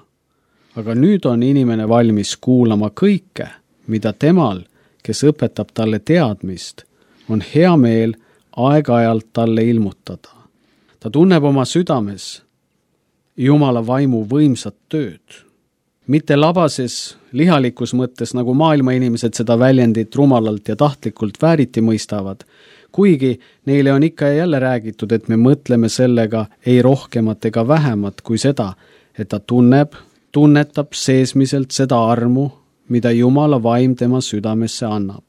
Aga nüüd on inimene valmis kuulama kõike, mida temal, kes õpetab talle teadmist, on hea meel aeg-ajalt talle ilmutada. Ta tunneb oma südames Jumala vaimu võimsat tööd. Mitte labases lihalikus mõttes, nagu maailma inimesed seda väljendit rumalalt ja tahtlikult vääriti mõistavad, kuigi neile on ikka ja jälle räägitud, et me mõtleme sellega ei rohkemat ega vähemat kui seda, et ta tunneb, tunnetab seesmiselt seda armu, mida Jumala vaim tema südamesse annab.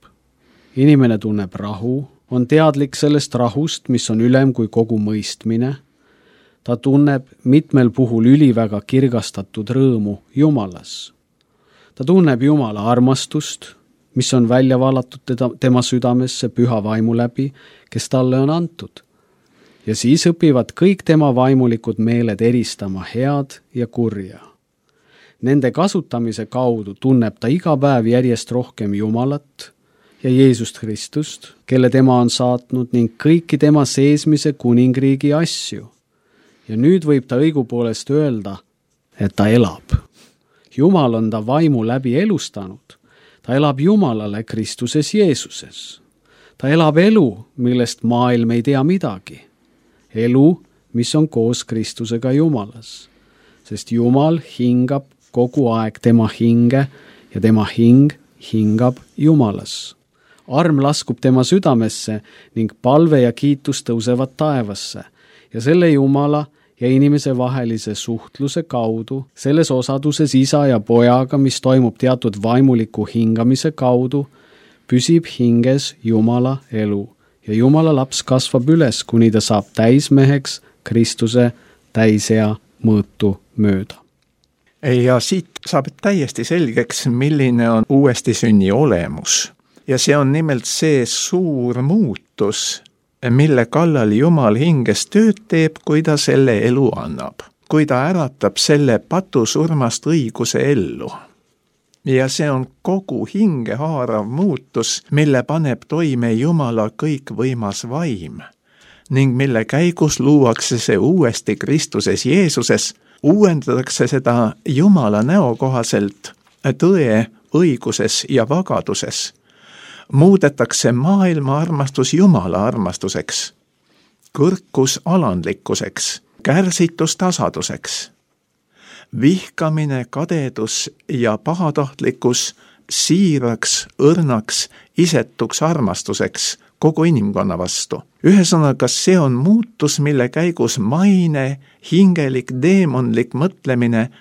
Inimene tunneb rahu, on teadlik sellest rahust, mis on ülem kui kogu mõistmine. Ta tunneb mitmel puhul üliväga kirgastatud rõõmu Jumalas. Ta tunneb Jumala armastust, mis on välja valatud teda, tema südamesse püha vaimu läbi, kes talle on antud. Ja siis õpivad kõik tema vaimulikud meeled eristama head ja kurja. Nende kasutamise kaudu tunneb ta iga päev järjest rohkem Jumalat ja Jeesust Kristust, kelle tema on saatnud ning kõiki tema seesmise kuningriigi asju. Ja nüüd võib ta õigupoolest öelda, et ta elab. Jumal on ta vaimu läbi elustanud. Ta elab Jumalale Kristuses Jeesuses. Ta elab elu, millest maailm ei tea midagi. Elu, mis on koos Kristusega Jumalas. Sest Jumal hingab kogu aeg tema hinge ja tema hing hingab Jumalas. Arm laskub tema südamesse ning palve ja kiitus tõusevad taevasse. Ja selle Jumala ja inimese vahelise suhtluse kaudu, selles osaduses isa ja pojaga, mis toimub teatud vaimuliku hingamise kaudu, püsib hinges Jumala elu ja Jumala laps kasvab üles, kuni ta saab täismeheks Kristuse täisea mõõtu mööda. Ja siit saab täiesti selgeks, milline on uuesti sünni olemus. Ja see on nimelt see suur muutus, mille kallal Jumal hinges tööd teeb, kui ta selle elu annab. Kui ta äratab selle patusurmast õiguse ellu. Ja see on kogu hinge haarav muutus, mille paneb toime Jumala kõikvõimas vaim, ning mille käigus luuakse see uuesti Kristuses Jeesuses, uuendatakse seda Jumala näo kohaselt tõe, õiguses ja vagaduses. Muudetakse maailma armastus Jumala armastuseks, kõrkus alandlikkuseks, kärsitus tasaduseks, vihkamine, kadedus ja pahatahtlikkus siiraks, õrnaks, isetuks armastuseks kogu inimkonna vastu. Ühesõnaga, see on muutus, mille käigus maine, hingelik, deemonlik mõtlemine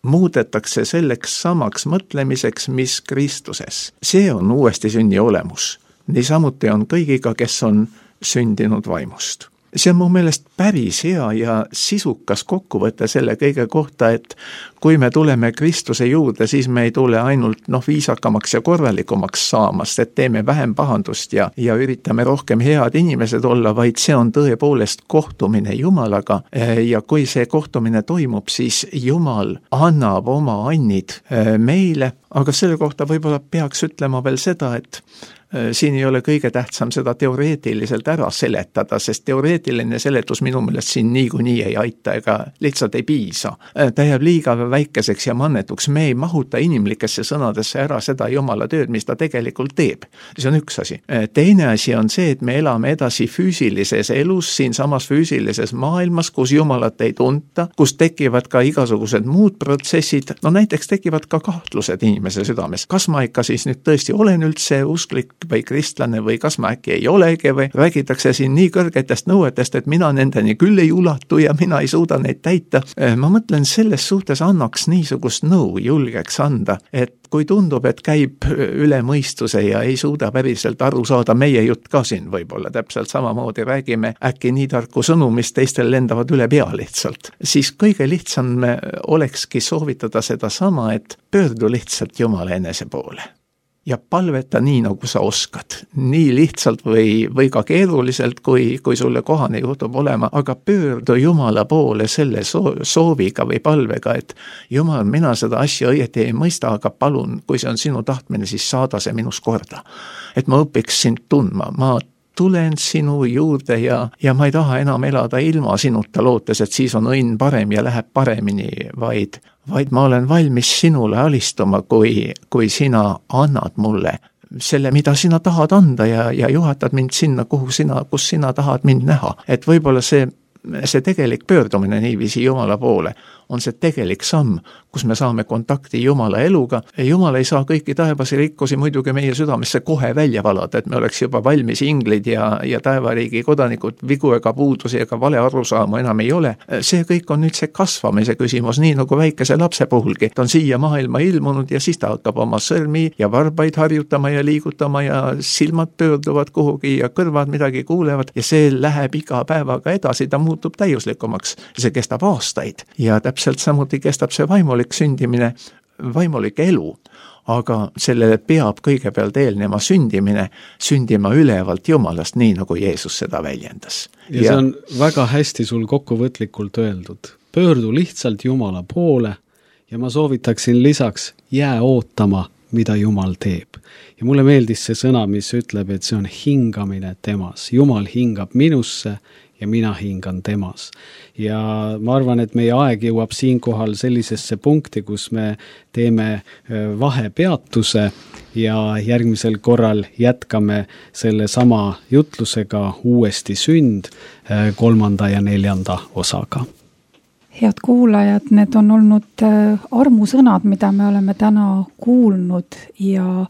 muudetakse selleks samaks mõtlemiseks, mis Kristuses. See on uuesti sünni olemus. niisamuti on kõigiga, kes on sündinud vaimust. See on mu meelest päris hea ja sisukas kokkuvõte selle kõige kohta, et kui me tuleme Kristuse juurde, siis me ei tule ainult noh, viisakamaks ja korralikumaks saamast, et teeme vähem pahandust ja, ja üritame rohkem head inimesed olla, vaid see on tõepoolest kohtumine Jumalaga ja kui see kohtumine toimub, siis Jumal annab oma annid meile, aga selle kohta võib-olla peaks ütlema veel seda, et siin ei ole kõige tähtsam seda teoreetiliselt ära seletada, sest teoreetiline seletus minu meelest siin niikuinii ei aita ega lihtsalt ei piisa. Ta jääb liiga väikeseks ja mannetuks, me ei mahuta inimlikesse sõnadesse ära seda Jumala tööd, mis ta tegelikult teeb. See on üks asi. Teine asi on see, et me elame edasi füüsilises elus, siin samas füüsilises maailmas, kus Jumalat ei tunta, kus tekivad ka igasugused muud protsessid, no näiteks tekivad ka kahtlused inimese südames. Kas ma ikka siis nüüd tõesti olen üldse usklik või kristlane või kas ma äkki ei olegi või räägitakse siin nii kõrgetest nõuetest, et mina nendeni küll ei ulatu ja mina ei suuda neid täita. Ma mõtlen, selles suhtes annaks niisugust nõu julgeks anda, et kui tundub, et käib üle mõistuse ja ei suuda päriselt aru saada, meie jutt ka siin võib-olla täpselt samamoodi räägime äkki nii tarku sõnu, mis teistel lendavad üle pea lihtsalt, siis kõige lihtsam olekski soovitada seda sama, et pöördu lihtsalt Jumala enese poole. Ja palveta nii, nagu sa oskad. Nii lihtsalt või, või ka keeruliselt, kui, kui sulle kohane juhtub olema, aga pöördu Jumala poole selle sooviga või palvega, et Jumal, mina seda asja õieti ei mõista, aga palun, kui see on sinu tahtmine, siis saada see minus korda. Et ma õpiks sind tundma, ma tulen sinu juurde ja, ja ma ei taha enam elada ilma sinuta lootes, et siis on õnn parem ja läheb paremini, vaid, vaid ma olen valmis sinule alistuma, kui, kui sina annad mulle selle, mida sina tahad anda ja, ja juhatad mind sinna, kuhu sina, kus sina tahad mind näha. Et võib-olla see, see tegelik pöördumine niiviisi Jumala poole on see tegelik samm, kus me saame kontakti Jumala eluga. Jumal ei saa kõiki taevasi rikkusi muidugi meie südamesse kohe välja valada, et me oleks juba valmis inglid ja, ja taevariigi kodanikud, vigu ega puudusi ega vale arusaamu enam ei ole. See kõik on nüüd see kasvamise küsimus, nii nagu väikese lapse puhulgi. Ta on siia maailma ilmunud ja siis ta hakkab oma sõrmi ja varbaid harjutama ja liigutama ja silmad pöörduvad kuhugi ja kõrvad midagi kuulevad ja see läheb iga päevaga edasi, ta muutub täiuslikumaks. See kestab aastaid ja täpselt samuti kestab see vaimulik sündimine, vaimulik elu, aga sellele peab kõigepealt eelnema sündimine, sündima ülevalt Jumalast, nii nagu Jeesus seda väljendas. Ja, ja see on väga hästi sul kokkuvõtlikult öeldud. Pöördu lihtsalt Jumala poole ja ma soovitaksin lisaks jää ootama, mida Jumal teeb. Ja mulle meeldis see sõna, mis ütleb, et see on hingamine temas. Jumal hingab minusse ja mina hingan temas. Ja ma arvan, et meie aeg jõuab siinkohal sellisesse punkti, kus me teeme vahepeatuse ja järgmisel korral jätkame selle sama jutlusega uuesti sünd kolmanda ja neljanda osaga. Head kuulajad, need on olnud armusõnad, mida me oleme täna kuulnud ja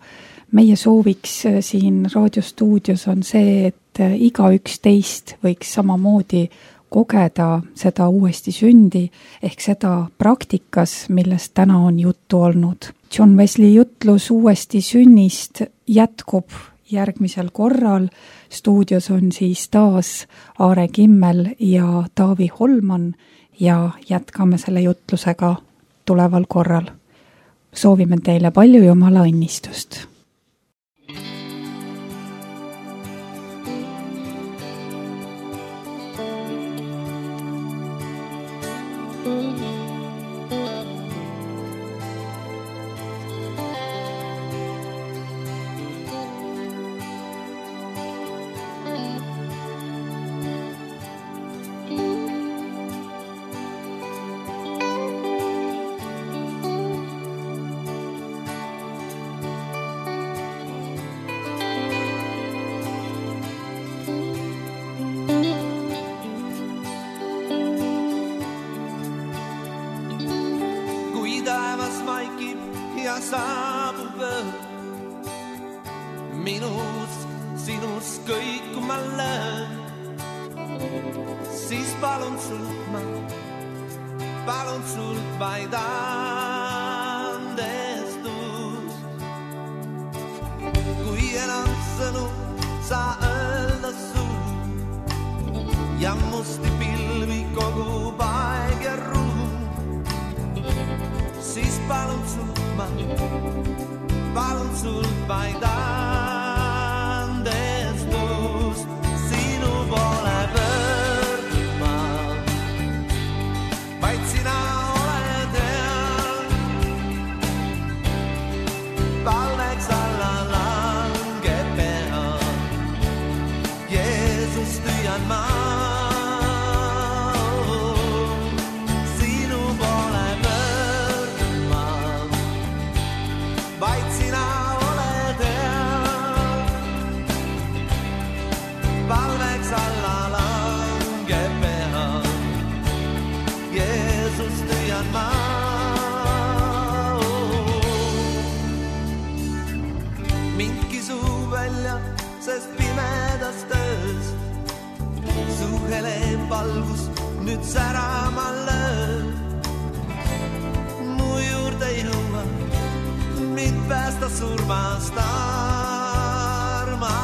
meie sooviks siin raadiostuudios on see, et iga üks teist võiks samamoodi kogeda seda uuesti sündi ehk seda praktikas, millest täna on juttu olnud. John Wesley jutlus uuesti sünnist jätkub järgmisel korral. Stuudios on siis taas Aare Kimmel ja Taavi Holman ja jätkame selle jutlusega tuleval korral. Soovime teile palju Jumala õnnistust. saabub öö. Minus, sinus kõik kui ma löön. Siis palun sult ma, palun sult vaid andestust. Kui enam sõnu ja musti pilvi kogub aeg ja ruum, siis palun sult ma, palun sult vaid andestust, sinu poole pöörduma, vaid sina oled hea, palveks alla langeb pea, Jeesus tüüan ma. Sest pimedas töös su hele valgus nüüd särama lööb. Mu juurde jõua, mind päästa surmast armastus.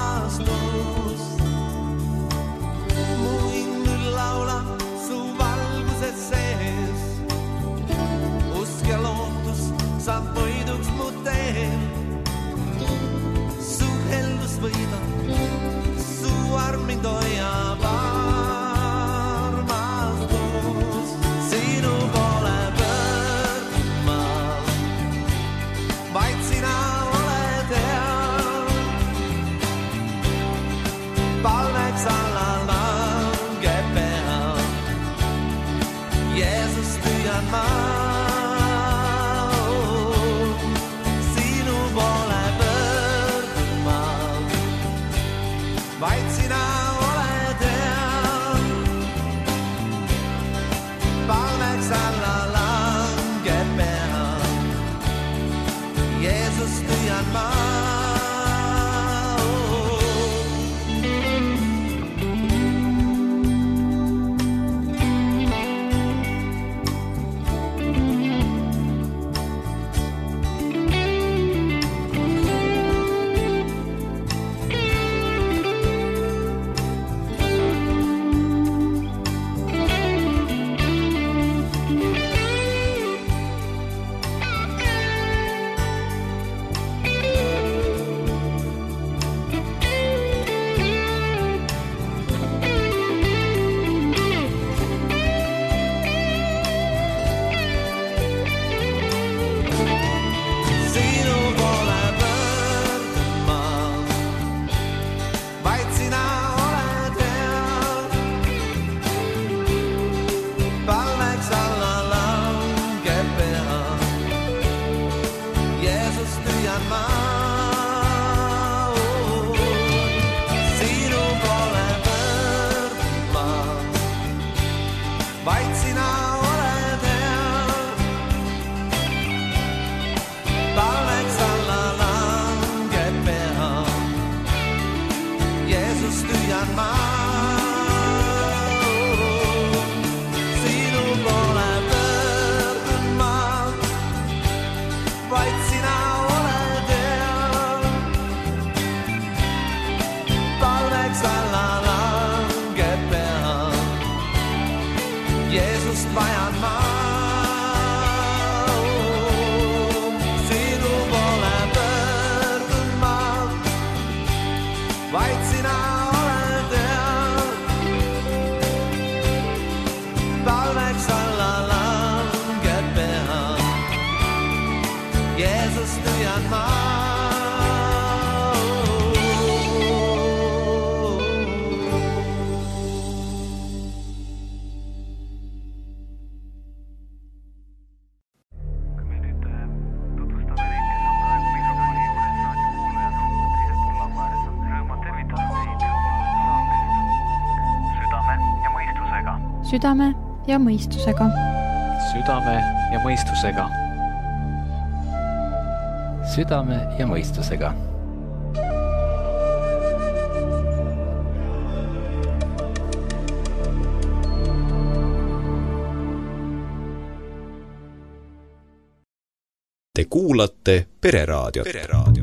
Mu hing nüüd laulab su valguses sees, usk ja lootus saab võiduks mu teel. Su heldus võidab, su arm mind hoiab armastus. Sinu poole pöörduma, vaid sina oled hea, palveks alla langeb pea, Jeesus tüüan ma. Vaid sina oled hea, palveks alla langeb pea, Jeesus tüüan ma. Südame ja mõistusega. Südame ja mõistusega. Südame ja mõistusega. Te kuulate Pereraadiot. Pereraadiot.